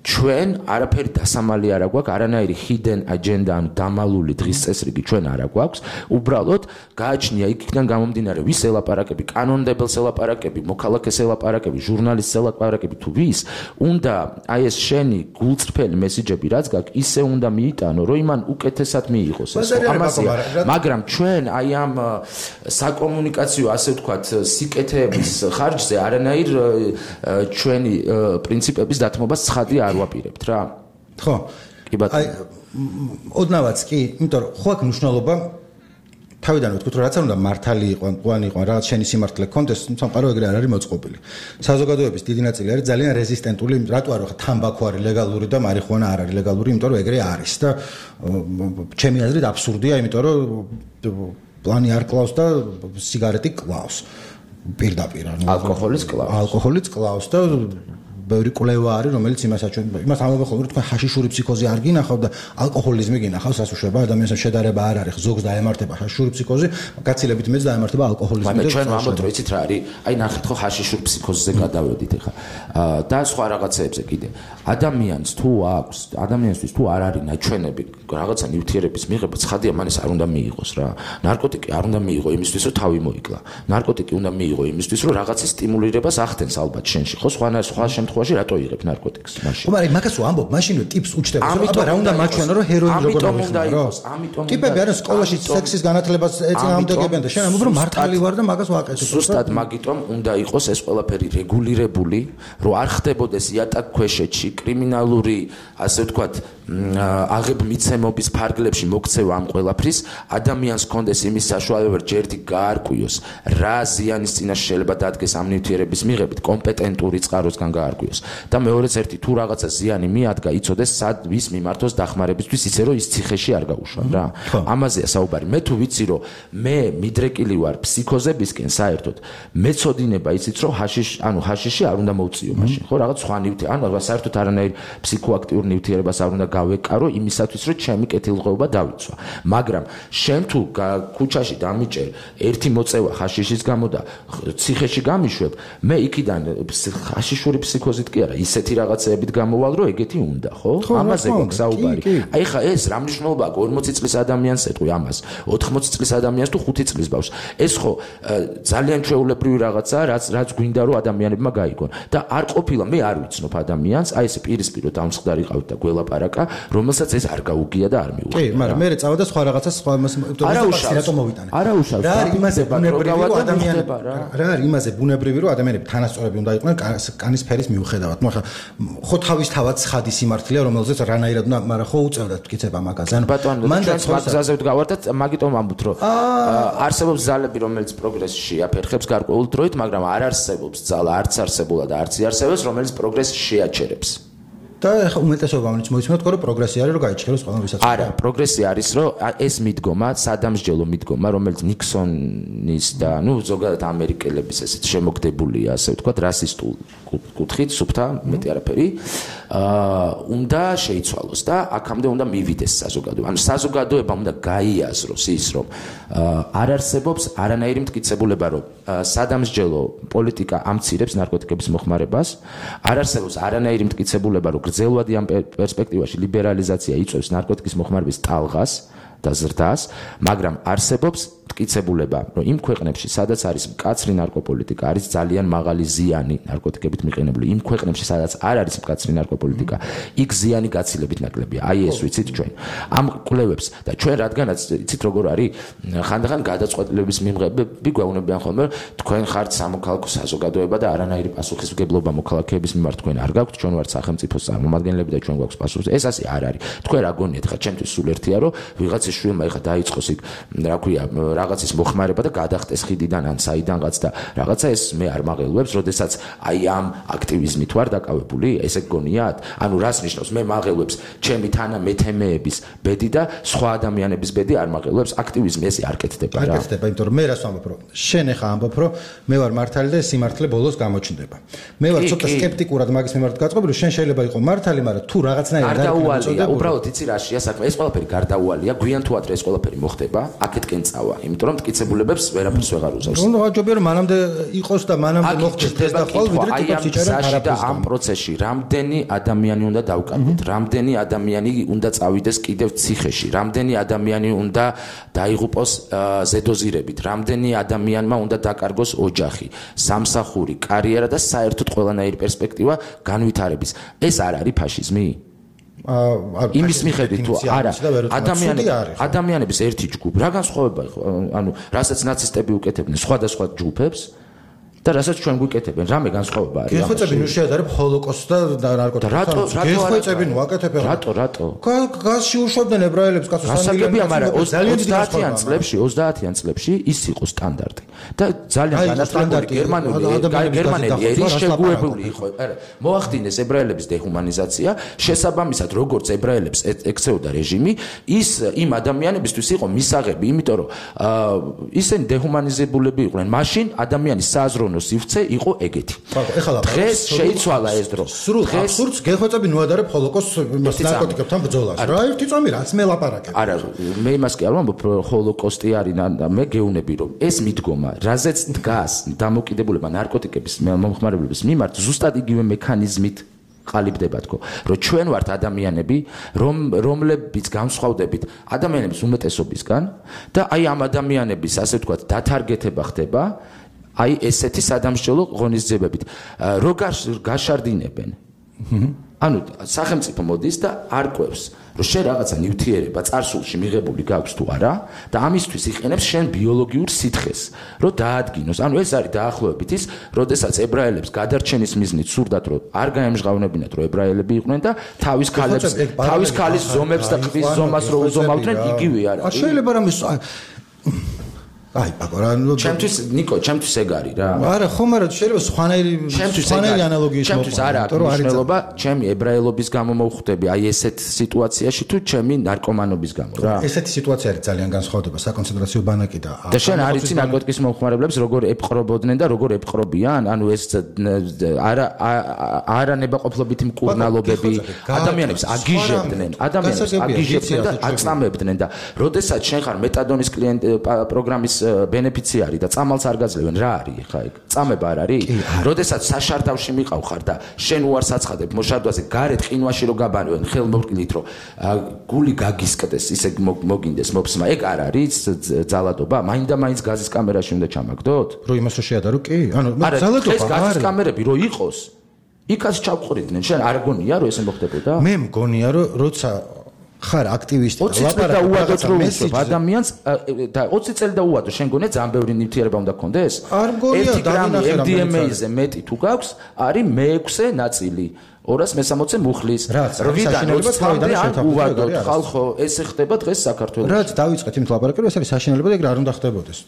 ჩვენ არაფერი დასამალი არ აქვს, არანაირი hidden agenda, ანუ დამალული დღის წესრიგი ჩვენ არ აქვს. უბრალოდ გააჩნია იქიდან გამომდინარე, ვის ელაპარაკები, კანონმდებელს ელაპარაკები, მოქალაქეს ელაპარაკები, ჟურნალისტს ელაპარაკები თუ ვის, უნდა აი ეს შენი გულწრფელი მესიჯები რაც გაქვს, ისე უნდა მიიტანო, რომ იმან უკეთესად მიიღოს ეს. მაგრამ ჩვენ აი ამ საკომუნიკაციო, ასე ვთქვათ, სიკეთეების ხარჯზე არანაირ ჩვენი პრინციპების დათმობას ცხადი არ ვაპირებთ რა. ხო. კი ბატონო. აი ოდნავაც კი, იმიტომ რომ ხო აქვს მნიშვნელობა თავიდანვე ვთქვით, რომ რაც არ უნდა მართალი იყო, მყوانი იყო, რაღაც შენი სიმართლე კონდეს, სამყარო ეგრე არ არის მოწყობილი. საზოგადოების დიდი ნაწილი არის ძალიან რეზისტენტული, რატო არ ვახა თამბაქო არის ლეგალური და მარიხუანა არ არის ლეგალური, იმიტომ რომ ეგრე არის და ჩემი აზრით აბსურდია, იმიტომ რომ პლანი არ კლავს და სიგარეტი კლავს. პირდაპირ ალკოჰოლის კლავს და ბევრი კვლევა არის, რომელიც იმას ამბობენ ხოლმე, რომ თქვენ ჰაშიშური ფსიქოზი არ გინახავთ და ალკოჰოლიზმი გინახავს, რაც უშუალოდ ადამიანს შედარება არ არის, ზოგს დაემართება ჰაშიშური ფსიქოზი, გაცილებით მეც დაემართება ალკოჰოლიზმი. მაგრამ ჩვენ ვამბობთ, რომ იცით რა არის? აი ნახეთ ხო ჰაშიშურ ფსიქოზზე გადავედით ახლა. და სხვა რაღაცეებზე კიდე. ადამიანისთვის თუ არ არის ნაჩვენები, რაღაცა ნივთიერების მიღება, ცხადია, მან ეს არ უნდა მიიღოს რა. ნარკოტიკი არ უნდა მიიღო იმისთვის, რომ თავი მოიკლა. ნარკოტიკი უნდა მიიღო იმისთვის, რომ რაღაცის სტიმულირებას ახდენს ალბათ შენში. ხო, სხვა შემთხვევაში რატო იღებ ნარკოტიკს მაშინ? მაგრამ მაგას ვამბობ, მაშინვე ტიპს უჩდება, რომ აბა რა უნდა მაჩვენო, რომ ჰეროინი როგორ მოიხმარო. ტიპები არის სკოლაში სექსის განათლებას ეწინააღმდეგებიან და შენ ამბობ, რომ მართალი ვარ და მაგას ვაკეთებ. ზუსტად მაგიტომ უნდა იყოს ეს ყველაფერი რეგულირებული, რომ არ ხდებოდეს იატაკ ქვეშეთში კრიმინალური, ასე ვთქვათ, აღებმიცემობის ფარგლებში მოქცევა ამ ყველაფრის, ადამიანს კონდეს იმის საშუალება ჯერდი გაარკვიოს, რა ზიანის წინაშე შეიძლება დადგეს ამ ნივთიერების მიღებით, კომპეტენტური წყაროსგან გაარკვიოს. და მეორეც ერთი თუ რაღაცა ზიანი მიადგა, იცოდეს სად ვის მიმართოს დახმარებისთვის, ისე რომ ის ციხეში არ გაუშვან რა. ამაზეა საუბარი. მე თუ ვიცი რომ მე მიდრეკილი ვარ ფსიქოზებისკენ საერთოდ, მეწოდინება იცით რომ ჰაშიში არ უნდა მოვწიო მაშინ. ხო რაღაც სხვა ნივთიერი, საერთოდ არანაირ ფსიქოაქტიურ ნივთიერებას არ უნდა გავეკარო იმისათვის რომ ჩემი კეთილდღეობა დავიცვა. მაგრამ შენ თუ ქუჩაში დამიჭერ ერთი მოწევა ჰაშიშის გამო და ციხეში გამიშვებ, მე იქიდან ჰაშიშური ფსიქოზით კი არა, ისეთი რაღაცეებით გამოვალ რომ ეგეთი უნდა, ხო? ამაზე გვაქვს საუბარი. აი ხა ეს რა მნიშვნელობა აქვს 40 წლის ადამიანს ეტყვი ამას, 80 წლის ადამიანს თუ 5 წლის ბავშვს. ეს ხო ძალიან ჩვეულებრივი რაღაცაა, რაც გვინდა რომ ადამიანებმა გაიგონ. და არ ყოფილა მე არ ვიცნობ ადამიანს, აი ეს პირისპირო დამსხდარი ყავთ და გველაპარაკა, რომელსაც ეს არ გაუგია და არ მიუღია. კი, მაგრამ მე წავა და სხვა რაღაცას სხვა რატო მოვიტანე. არა უშავს. რა არის იმაზე ბუნებრივი რომ ადამიანები თანასწორები უნდა იყვნენ კანის ფერის მიუხედავად. ნუ ახლა ხო თავისთავად ცხადი სიმართლეა, რომელზეც რანაირად უნდა, მაგრამ ხო უწევდათ მტკიცება მაგაზე. მან მაგზაზე ვდგავართ და მაგიტომ ამბობთ რომ არსებობს ძალები, რომელიც პროგრესში აფერხებს გარკვეულ დროით, მაგრამ არ არსებობს ძალა, არც არსებულა და არც იარსებებს, რომელიც პროგრესს შეაჩერებს. და ახლა უმეტესობა რომელიც მოიცნოთ, რომ პროგრესი არის, რომ გაიჩქეროს ყველა ვისაც. არა, პროგრესი არის, რომ ეს მიდგომა, სადამსჯელო მიდგომა, რომელიც ნიქსონის და ნუ ზოგადად ამერიკელების ესეთ შემოგდებულია, ასე ვთქვათ, რასისტულ კუთხით, სუფთა, მეტი არაფერი, უნდა შეიცვალოს და აქამდე უნდა მივიდეს საზოგადოება. ანუ საზოგადოებამ უნდა გაიაზროს ის, რომ არ არსებობს არანაირი მტკიცებულება, რომ სადამსჯელო პოლიტიკა ამცირებს ნარკოტიკების მოხმარებას, არ არსებობს არანაირი მტკიცებულება, რომ გრძელვადი ამ პერსპექტივაში ლიბერალიზაცია იწვევს ნარკოტიკის მოხმარების ტალღას და ზრდას, მაგრამ არსებობს მტკიცებულება, რომ იმ ქვეყნებში, სადაც არის მკაცრი ნარკოპოლიტიკა, არის ძალიან მაღალი ზიანი ნარკოტიკებით მიყენებული. იმ ქვეყნებში, სადაც არ არის მკაცრი ნარკოპოლიტიკა, იქ ზიანი გაცილებით ნაკლებია. აი ეს ვიცით ჩვენ. ამ კვლევებს და ჩვენ რადგანაც იცით როგორ არის, ხანდახან გადაწყვეტილების მიღებები გვეუბნებიან ხოლმე, თქვენ ხართ სამოქალაქო საზოგადოება და არანაირი პასუხისმგებლობა მოქალაქეების მიმართ თქვენ არ გაქვთ, ჩვენ ვართ სახელმწიფოს წარმომადგენლები და ჩვენ გვაქვს პასუხი. ეს ასე არ არის. თქვენ რა გონიათ, ხა ჩემთვის სულ ერთია, რომ ვიღაცის შვილმა ეხა დაიწყოს იქ, რა ქვია, რაღაცის მოხმარება და გადახტეს ხიდიდან ან საიდანღაც და რაღაცა ეს მე არ მაღელვებს, როდესაც აი ამ აქტივიზმით ვარ დაკავებული, ესე გგონიათ? ანუ რას ნიშნავს? მე მაღელვებს ჩემი თანამეთემეების ბედი და სხვა ადამიანების ბედი არ მაღელვებს. აქტივიზმი ესე არ კეთდება რა. არ კეთდება, იმიტომ რომ მე რას ვამბობ, რომ შენ ეხა ამბობ, რომ მე ვარ მართალი და სიმართლე ბოლოს გამოჩნდება. მე ვარ ცოტა სკეპტიკურად მაგის მიმართ გაწყობილი, რომ შენ შეიძლება იყო მართალი, მაგრამ თუ რაღაცნაირად არ დაუვალია, უბრალოდ იცი რაშია საქმე, ეს ყველაფერი გარდაუვალია, გვიან თუ ადრე ეს ყველაფერი მოხდება, აქეთკენ წავა. იმიტომ რომ მტკიცებულებებს ვერაფერს ვეღარ უზავს. ნუ აჯობია რომ მანამდე იყოს და მანამდე მოხდეს ეს და ყოველ ვიდრე ტიპებს იჭერენ არაფერს. ამ პროცესში რამდენი ადამიანი უნდა დავკარგოთ, რამდენი ადამიანი უნდა წავიდეს კიდევ ციხეში, რამდენი ადამიანი უნდა დაიღუპოს ზედოზირებით, რამდენი ადამიანმა უნდა დაკარგოს ოჯახი, სამსახური, კარიერა და საერთოდ ყველანაირი პერსპექტივა განვითარების. ეს არ არის ფაშიზმი? იმის მიხედვით თუ არა ადამიანების ერთი ჯგუფი რა განსხვავება იყო ანუ რასაც ნაცისტები უკეთებდნენ სხვადასხვა ჯგუფებს და რასაც ჩვენ გვიკეთებენ, რამე განსხვავება არის. გეხვეწები ნუ შეადარებ ჰოლოკოსტს და ნარკოტიკებს. გეხვეწები ნუ აკეთებ. რატო? გაზში უშვებდნენ ებრაელებს კაცო 3 მილიონი. მაგრამ 30-იან წლებში ის იყო სტანდარტი. და ძალიან განათლებული გერმანელი ერი შეგუებული იყო. მოახდინეს ებრაელების დეჰუმანიზაცია, შესაბამისად როგორც ებრაელებს ექცეოდა რეჟიმი, ის იმ ადამიანებისთვის იყო მისაღები, იმიტომ რომ ისინი დეჰუმანიზებულები იყვნენ. მაშინ ადამიანის სააზროვნო სივრცე იყო ეგეთი. დღეს შეიცვალა ეს დრო. სრულ აბსურდს გეხვეწები ნუ ადარებ ჰოლოკოსტს ნარკოტიკებთან ბრძოლას. რა ერთი წამი რაც მე ლაპარაკებ. არა, მე იმას კი არ ვამბობ, ჰოლოკოსტი არის და მე გეუბნები რომ ეს მიდგომა, რაზეც დგას დამოკიდებულება ნარკოტიკების მომხმარებლების მიმართ, ზუსტად იგივე მექანიზმით ყალიბდება თქო, რომ ჩვენ ვართ ადამიანები, რომლებიც განსხვავდებით ადამიანების უმეტესობისგან და აი ამ ადამიანების ასე ვთქვათ დათარგეთება ხდება აი ესეთი სადამსჯელო ღონისძიებებით. რო გაშარდინებენ. ანუ სახელმწიფო მოდის და არკვევს, რომ შენ რაღაცა ნივთიერება წარსულში მიღებული გაქვს თუ არა და ამისთვის იყენებს შენ ბიოლოგიურ სითხეს, რომ დაადგინოს. ანუ ეს არის დაახლოებით ის, როდესაც ებრაელებს გადარჩენის მიზნით სურდათ, რომ არ გაემჟღავნებინათ, რომ ებრაელები იყვნენ და თავის ქალის ზომებს და ყბის ზომას რო უზომავდნენ, იგივე არა. შეიძლება რომ აი, პაკორანო. ჩემთვის ნიკო, ჩემთვის ეგ არის რა. არა, ხომ არა, შეიძლება სხვანაირი ანალოგიით მოხდა. ჩემთვის არა აქვს მნიშვნელობა, ჩემი ებრაელობის გამო მოვხვდები, აი ესეთ სიტუაციაში თუ ჩემი ნარკომანობის გამო რა. ესეთი სიტუაცია არის ძალიან განსხვავდება საკონცენტრაციო ბანაკი და შენ არ იცი ნარკოტიკის მომხმარებლებს როგორ ეპყრობოდნენ და როგორ ეპყრობიან, ანუ ეს არა ნებაყოფლობითი მკურნალობები ადამიანებს აგიჟებდნენ და აწამებდნენ და როდესაც შენ ხარ მეტადონის პროგრამის ბენეფიციარი და წამალს არ გაძლევენ რა არის ხა ეგ წამება არ არის როდესაც საშარდავში მიყავ ხარ და შენ უარს აცხადებ მოშარდვაზე გარეთ ყინვაში რო გაბანვენ ხელმოკლით რო გული გაგისკდეს ისე მოგინდეს მოფსმა ეგ არ არის ძალადობა მაინდა-მაინც გაზის კამერაში უნდა ჩამაგდოთ რო იმას რო შეადარო კი ანუ ძალადობა ეს გაზის კამერები რო იყოს იქაც ჩავყრიდნენ შენ არ გონია რომ ესე მოხდებოდა მე მგონია რომ როცა ხარ აქტივისტი და უადოთ რომ უშვებ ადამიანს და 20 წელი და უადო შენ გონია ძალიან ბევრი ნივთიერება უნდა გქონდეს არ მგონია დავინახე MDMA-ზე მეტი თუ გაქვს არის მე-6 ნაწილი 260 მუხლის რვიდან 20-მდე ან უვადოთ ხალხო ესე ხდება დღეს საქართველოში რაც დავიწყეთ იმ ლაპარაკი ეს არის საშინელება და ეგ რა უნდა ხდებოდეს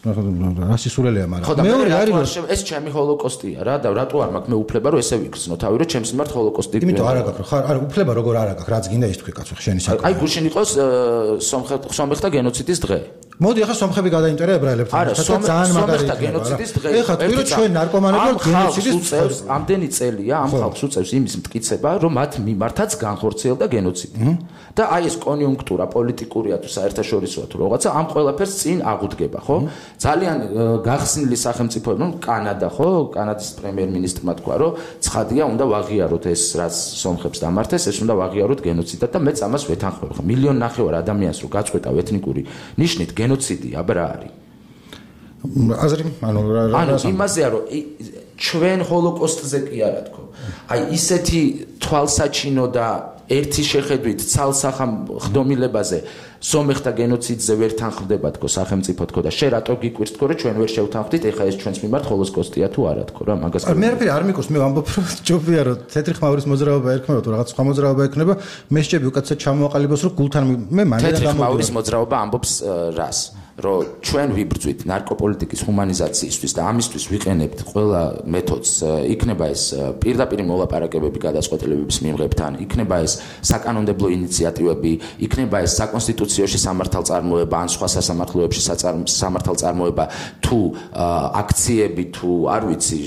რა სისულელეა მაგრამ მეორე არის ეს ჩემი ჰოლოკოსტია რა და რატო არ მაქვს მე უფლება რომ ესე ვიქცნო თავი რომ ჩემს მიმართ ჰოლოკოსტი იმიტომ არა გაქვს ხარ არა უფლება როგორ არა გაქვს რაც გინდა ის თქვი კაცო შენი საკითხი აი გუშინ იყოს სომხთა გენოციდის დღე მოდი ახლა სომხები გადაინტერა ებრაელებთან ძალიან მაგარია გენოციდის დღე ეხლა თქვი რომ ჩვენ ნარკომანები ვართ გენოციდის უწევს ამდენი წელია ამ ხალხს უწევს იმის მტკიცება რომ მათ მიმართაც განხორციელდა გენოციდი და აი ეს კონიუნქტურა პოლიტიკურია თუ საერთაშორისოა თუ რაღაცა ამ ყველაფერს წინ აღუდგება ხო ძალიან გახსნილი სახელმწიფოები რომ კანადა ხო კანადის პრემიერ-მინისტრმა თქვა რომ ცხადია უნდა ვაღიაროთ ეს რაც სომხებს დამართეს ეს უნდა ვაღიაროთ გენოციდად და მეც ამას ვეთანხმებ ხო 1.5 მილიონი ადამიანს რო გაწყვეტავ ეთნიკური ნიშნით გენოციდი აბა რა არის აზრი ანუ იმაზეა რომ ჩვენ ჰოლოკოსტზე კი არა თქო აი ისეთი თვალსაჩინო და ერთი შეხედვით ცალსახამხდომილებაზე სომეხთა გენოციდზე ვერ თანხმდება თქო სახელმწიფო თქო და შე რატო გიკვირს თქო რომ ჩვენ ვერ შევთანხმდით ეხა ეს ჩვენს მიმართ ჰოლოკოსტია თუ არა თქო რა მაგას მე არ მიკურს მე ვამბობ რომ ჯობია რომ თეთრი ხმაურის მოძრაობა ერქმევა თუ რაღაც სხვა მოძრაობა ექნება მე შეჭები უკაცრად ჩამოაყალიბოს რომ გულთან მე მანერა თეთრი ხმაურის მოძრაობა ამბობს რას რომ ჩვენ ვიბრძვით ნარკოპოლიტიკის ჰუმანიზაციისთვის და ამისთვის ვიყენებთ ყველა მეთოდს იქნება ეს პირდაპირ მოლაპარაკებები გადაწყვეტილებების მიღებთან იქნება ეს საკანონმდებლო ინიციატივები იქნება ეს საკონსტიტუციაში სამართალწარმოება ან სხვა სასამართლოებში სამართალწარმოება თუ აქციები თუ არ ვიცი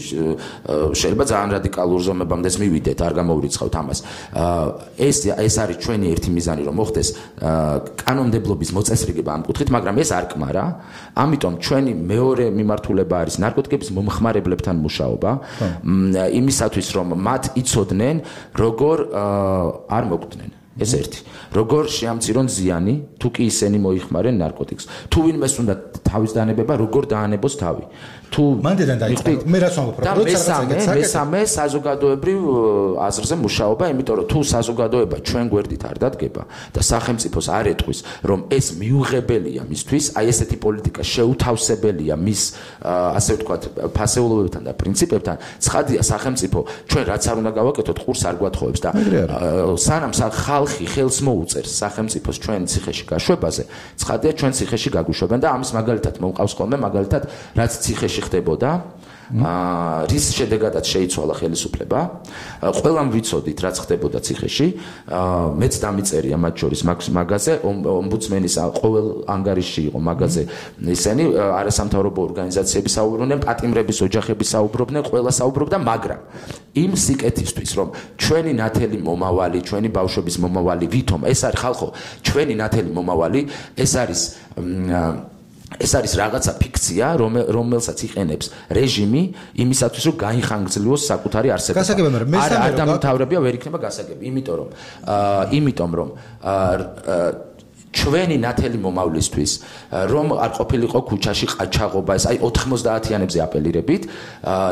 შეიძლება ძალიან რადიკალურ ზომებამდეც მივიდეთ არ გამოვრიცხავთ ამას ეს არის ჩვენი ერთი მიზანი რომ მოხდეს კანონმდებლობის მოწესრიგება ამ კუთხით მაგრამ ეს არ კმარა ამიტომ ჩვენი მეორე მიმართულება არის ნარკოტიკების მომხმარებლებთან მუშაობა იმისათვის რომ მათ იცოდნენ როგორ არ მოკვდნენ ეს ერთი. როგორ შეამცირონ ზიანი, თუ კი ისინი მოიხმარენ ნარკოტიკს. თუ ვინმეს უნდა თავის დანებება, როგორ დაანებოს თავი. თუ მანდედან დაიწყო. მე რაც ვამბობ, მესამე საზოგადოებრივ აზრზე მუშაობა, იმიტომ რომ თუ საზოგადოება ჩვენ გვერდით არ დადგება და სახელმწიფოს არ ეტყვის, რომ ეს მიუღებელია მისთვის, აი ესეთი პოლიტიკა შეუთავსებელია მის ასე ვთქვათ, ფასეულობებთან და პრინციპებთან, ცხადია სახელმწიფო ჩვენ რაც არ უნდა გავაკეთოთ, ყურს არ გვათხოვებს და სანამ ხალხი ხელს მოუწერს სახელმწიფოს ჩვენ ციხეში გაშვებაზე, ცხადია ჩვენ ციხეში გაგვიშვებენ და ამის მაგალითად მომყავს ხოლმე მაგალითად რაც ციხეში ხდებოდა რის შედეგადაც შეიცვალა ხელისუფლება ყველამ ვიცოდით რაც ხდებოდა ციხეში მეც დამიწერია მათ შორის მაგაზე ომბუდსმენის ყოველ ანგარიში იყო მაგაზე ისინი არასამთავრობო ორგანიზაციები საუბრობდნენ პატიმრების ოჯახები საუბრობდნენ ყველა საუბრობდა მაგრამ იმ სიკეთისთვის რომ ჩვენი ნათელი მომავალი ჩვენი ბავშვების მომავალი ვითომ ეს არის ხალხო ჩვენი ნათელი მომავალი ეს არის რაღაცა ფიქცია, რომელსაც იყენებს რეჟიმი იმისათვის, რომ გაიხანგრძლივოს საკუთარი არსებობა. არ დამთავრებია ვერ იქნება გასაგები, იმიტომ რომ ჩვენი ნათელი მომავლისთვის რომ არ ყოფილიყო ქუჩაში ყაჩაღობა ეს აი 90-იანებზე აპელირებით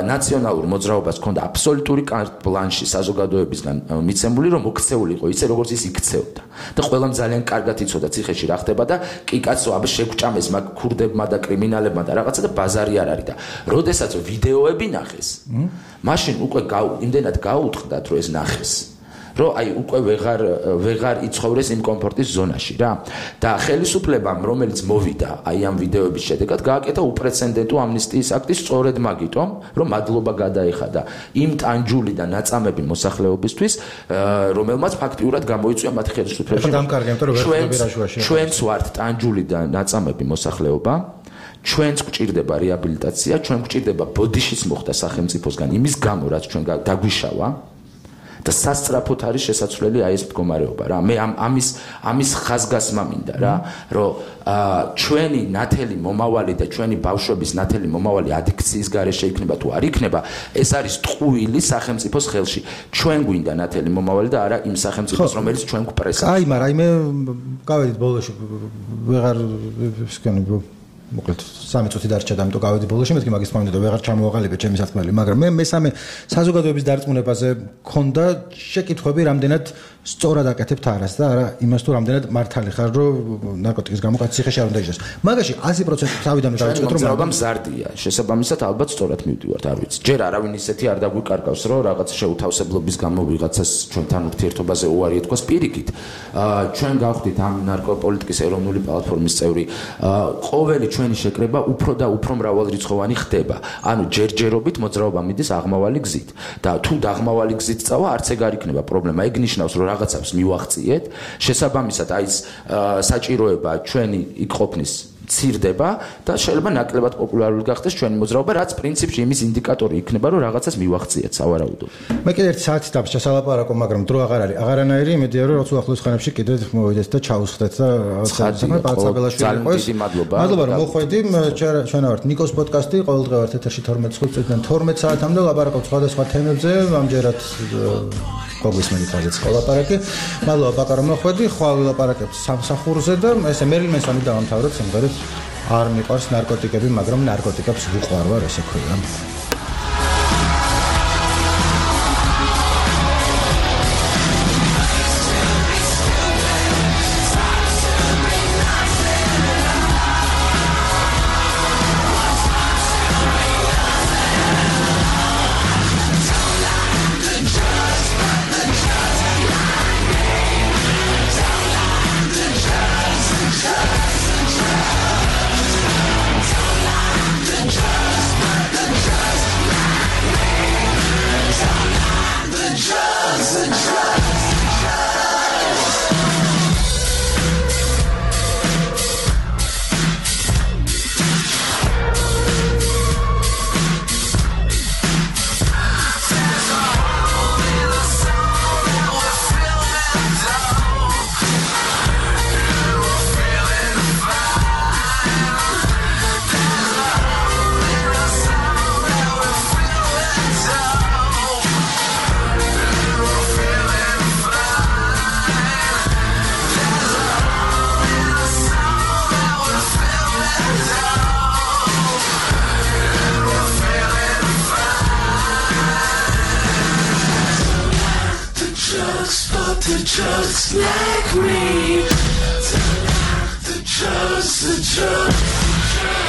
ნაციონალურ მოძრაობას ჰქონდა აბსოლუტური კარტ ბლანში საზოგადოებისგან მიცემული რომ მოქცეულიყო ისე როგორც ის იქცეოდა და ყველამ ძალიან კარგად იცოდა ციხეში რა ხდება და კი კაცო აბა შეგვჭამეს მაგ ქურდებმა და კრიმინალებმა და რაღაცა და ბაზარი არ არის და როდესაც ვიდეოები ნახეს მაშინ უკვე იმდენად გაუთხდათ რომ ეს ნახეს რომ აი უკვე ვეღარ იცხოვრეს იმ კომფორტის ზონაში რა და ხელისუფლებამ რომელიც მოვიდა აი ამ ვიდეოების შედეგად გააკეთა უპრეცედენტო ამნისტიის აქტი სწორედ მაგიტომ რომ მადლობა გადაეხადა იმ ტანჯული და ნაწამები მოსახლეობისთვის რომელმაც ფაქტიურად გამოიწვია მათ ხელისუფლებაში ჩვენც ვართ ტანჯული და ნაწამები მოსახლეობა ჩვენც გვჭირდება რეაბილიტაცია ჩვენ გვჭირდება ბოდიშის მოხდა სახელმწიფოსგან იმის გამო რაც ჩვენ დაგვიშავა და სასწრაფოდ არის შესაძლებელი აი ეს მდგომარეობა რა მე ამის ხაზგასმა მინდა რა რომ ჩვენი ნათელი მომავალი და ჩვენი ბავშვების ნათელი მომავალი ადიქციის გარეშე იქნება თუ არ იქნება ეს არის ტყუილი სახელმწიფოს ხელში ჩვენ გვინდა ნათელი მომავალი და არა იმ სახელმწიფოს რომელიც ჩვენ გვპრესებს აი მაგრამ მე გავედით ბოლოში ვეღარ ვსკენი მოკლედ 3 წუთი დარჩა და ამიტომ გავედი ბოლოში მეთქი მაგის თქმამდე და ვეღარ ჩამოვაყალიბე ჩემი საქმე მაგრამ მე მესამე საზოგადოების დარწმუნებაზე მქონდა შეკითხვები რამდენად სწორად აკეთებთ არას და არა იმას თუ რამდენად მართალი ხარ რომ ნარკოტიკის გამო კაცი ციხეში არ უნდა იჯდეს მაგაში 100% თავიდან დავიწყეთ რომ მოგზაურობა მზარდია შესაბამისად ალბათ სწორად მივდივართ არ ვიცი ჯერ არავინ ისეთი არ დაგვიკარგავს რომ რაღაც შეუთავსებლობის გამო ვიღაცას ჩვენთან ურთიერთობაზე უარი ეთქვას პირიქით ჩვენ გავხდით ამ ნარკოპოლიტიკის ეროვნული პლატფორმის წევრი ყოველი ჩვენი შეკრება უფრო და უფრო მრავალრიცხოვანი ხდება. ანუ ჯერჯერობით მოძრაობა მიდის აღმავალი გზით და თუ დაღმავალი გზით წავა, არც ეგ არ იქნება პრობლემა. ეგ ნიშნავს, რომ რაღაცას მივახციეთ, შესაბამისად აი ეს საჭიროება ჩვენი იქ ყოფნის ცირდება და შეიძლება ნაკლებად პოპულარული გახდეს ჩვენი მოძრაობა, რაც პრინციპში იმის ინდიკატორი იქნება, რომ რაღაცას მივახციეთ სავარაუდოდ. მე კიდე 1 საათი დაბრჩა სალაპარაკო, მაგრამ დრო აღარ არის. აღარანაირი იმედია, რომ რაც უახლოეს ხანებში კიდე მოვიდეთ და ჩაუსხდეთ და საქმე პაცაბელაშვილი იყოს. მადლობა რომ მოხვედი. ჩვენ ვართ ნიკოს პოდკასტი, ყოველდღე ვართ ეთერში 12 წუთიდან 12 საათამდე ლაპარაკობთ სხვადასხვა თემებზე, ამჯერად გოგვისმენთ რაზეც ლაპარაკი. მადლობა ბაკა რომ მოხვედი, ხვალ ვილაპარაკებთ სამსახურზე და ესე მერილ მენსონი დავამთავროთ სიმღერით არ მიყვარს ნარკოტიკები, მაგრამ ნარკოტიკებს ვუყვარვარ, ესე ქვია. But they're just like me. They're just the truth.